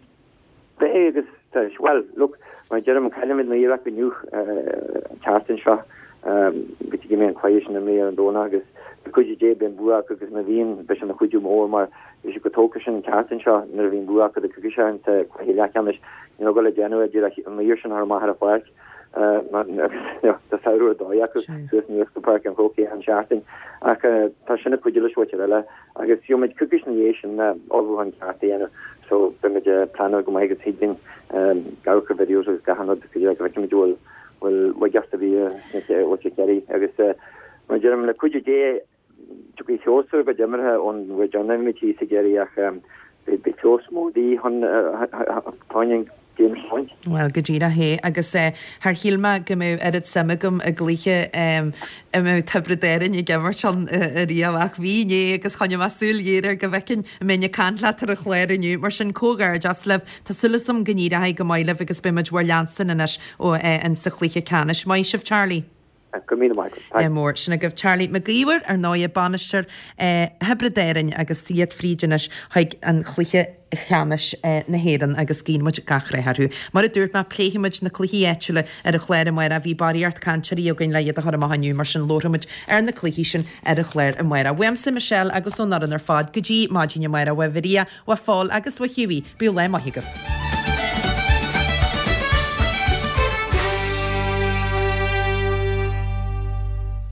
Beidh agus tá, bhuel, look, mar a deirim, caillfimid an Iaráic inniu, an tseachtain seo, go dtí go mbeidh an cluiche sin imrithe ar an Domhnach agus le cuidiú Dé beidh an bua acu agus má bhíonn, beidh sé ina chuidiú mór mar bhí siad chomh tógtha sin an tseachtain seo nuair a bhí an bua acu do coicís ó shin sa chluiche leathcheannais, ní raibh ag dul le déanamh ach díreach an oighear sin a chur amach ar an pháirc agus tá samhradh ar dóigh acu suas aníos go Páirc an Chrócaigh an seachtain ach tá sin ag cuidiú leis mhuintir eile. Agus gheobhaimid coicís ina dhiaidh sin le ullmhúchán ceart a dhéanamh so beimid ag pleanáil go maith agus thig linn amharc ar videos agus gach aon rud go dtí go bhfeicfimid an bhfuil bhfuil laigeacht ar bith sna mhuintir Chiarraí agus mar a deirim le cuidiú Dé tiocfaidh feabhas ar a gcuid imeartha ón uair deireanach a bhí muid thíos i gCiarraí ach beidh feabhas mór de dhíth chun chun an game seo a bhaint. Bhuel, go díreach é. Agus char shíl mé go mbeadh oiread suim agam i gcluiche a mbeadh Tiobraid Árann ag imirt ann ariamh ach bhí inné agus choinnigh mé súil ghéar air go bhfeicfinn an mbeinn ag caint leat ar an chlár inniu. Mar sin, comhghairdeas libh. Tá súil agam go n-éireoidh go maith libh agus beidh muid bhur leanstan anois ó in sa chluiche ceannais. Maith sibh, Charlie. Go raibh míle maith agat. Thanks. Mór. Sin agaibh Charlie Mac Íomhair, ar ndóighe, bainisteoir Thiobraid Árann agus iad fríd anois chuig an chluiche cheannais na hÉireann agus guíonn muid gach rath orthu. Mar a dúirt mé, pléifidh muid na cluichí áitiúla ar an chlár amárach. Bhí barraíocht cainteoirí againn le iad a chur amach inniu, mar sin labharfaidh muid ar na cluichí sin ar an chlár amárach. Uaimse, Michelle agus ón fhoireann ar fad, go dtí maidin amárach, uaidh Mharia, uaidh Phól agus uaidh Hughie, bíodh lá maith agaibh.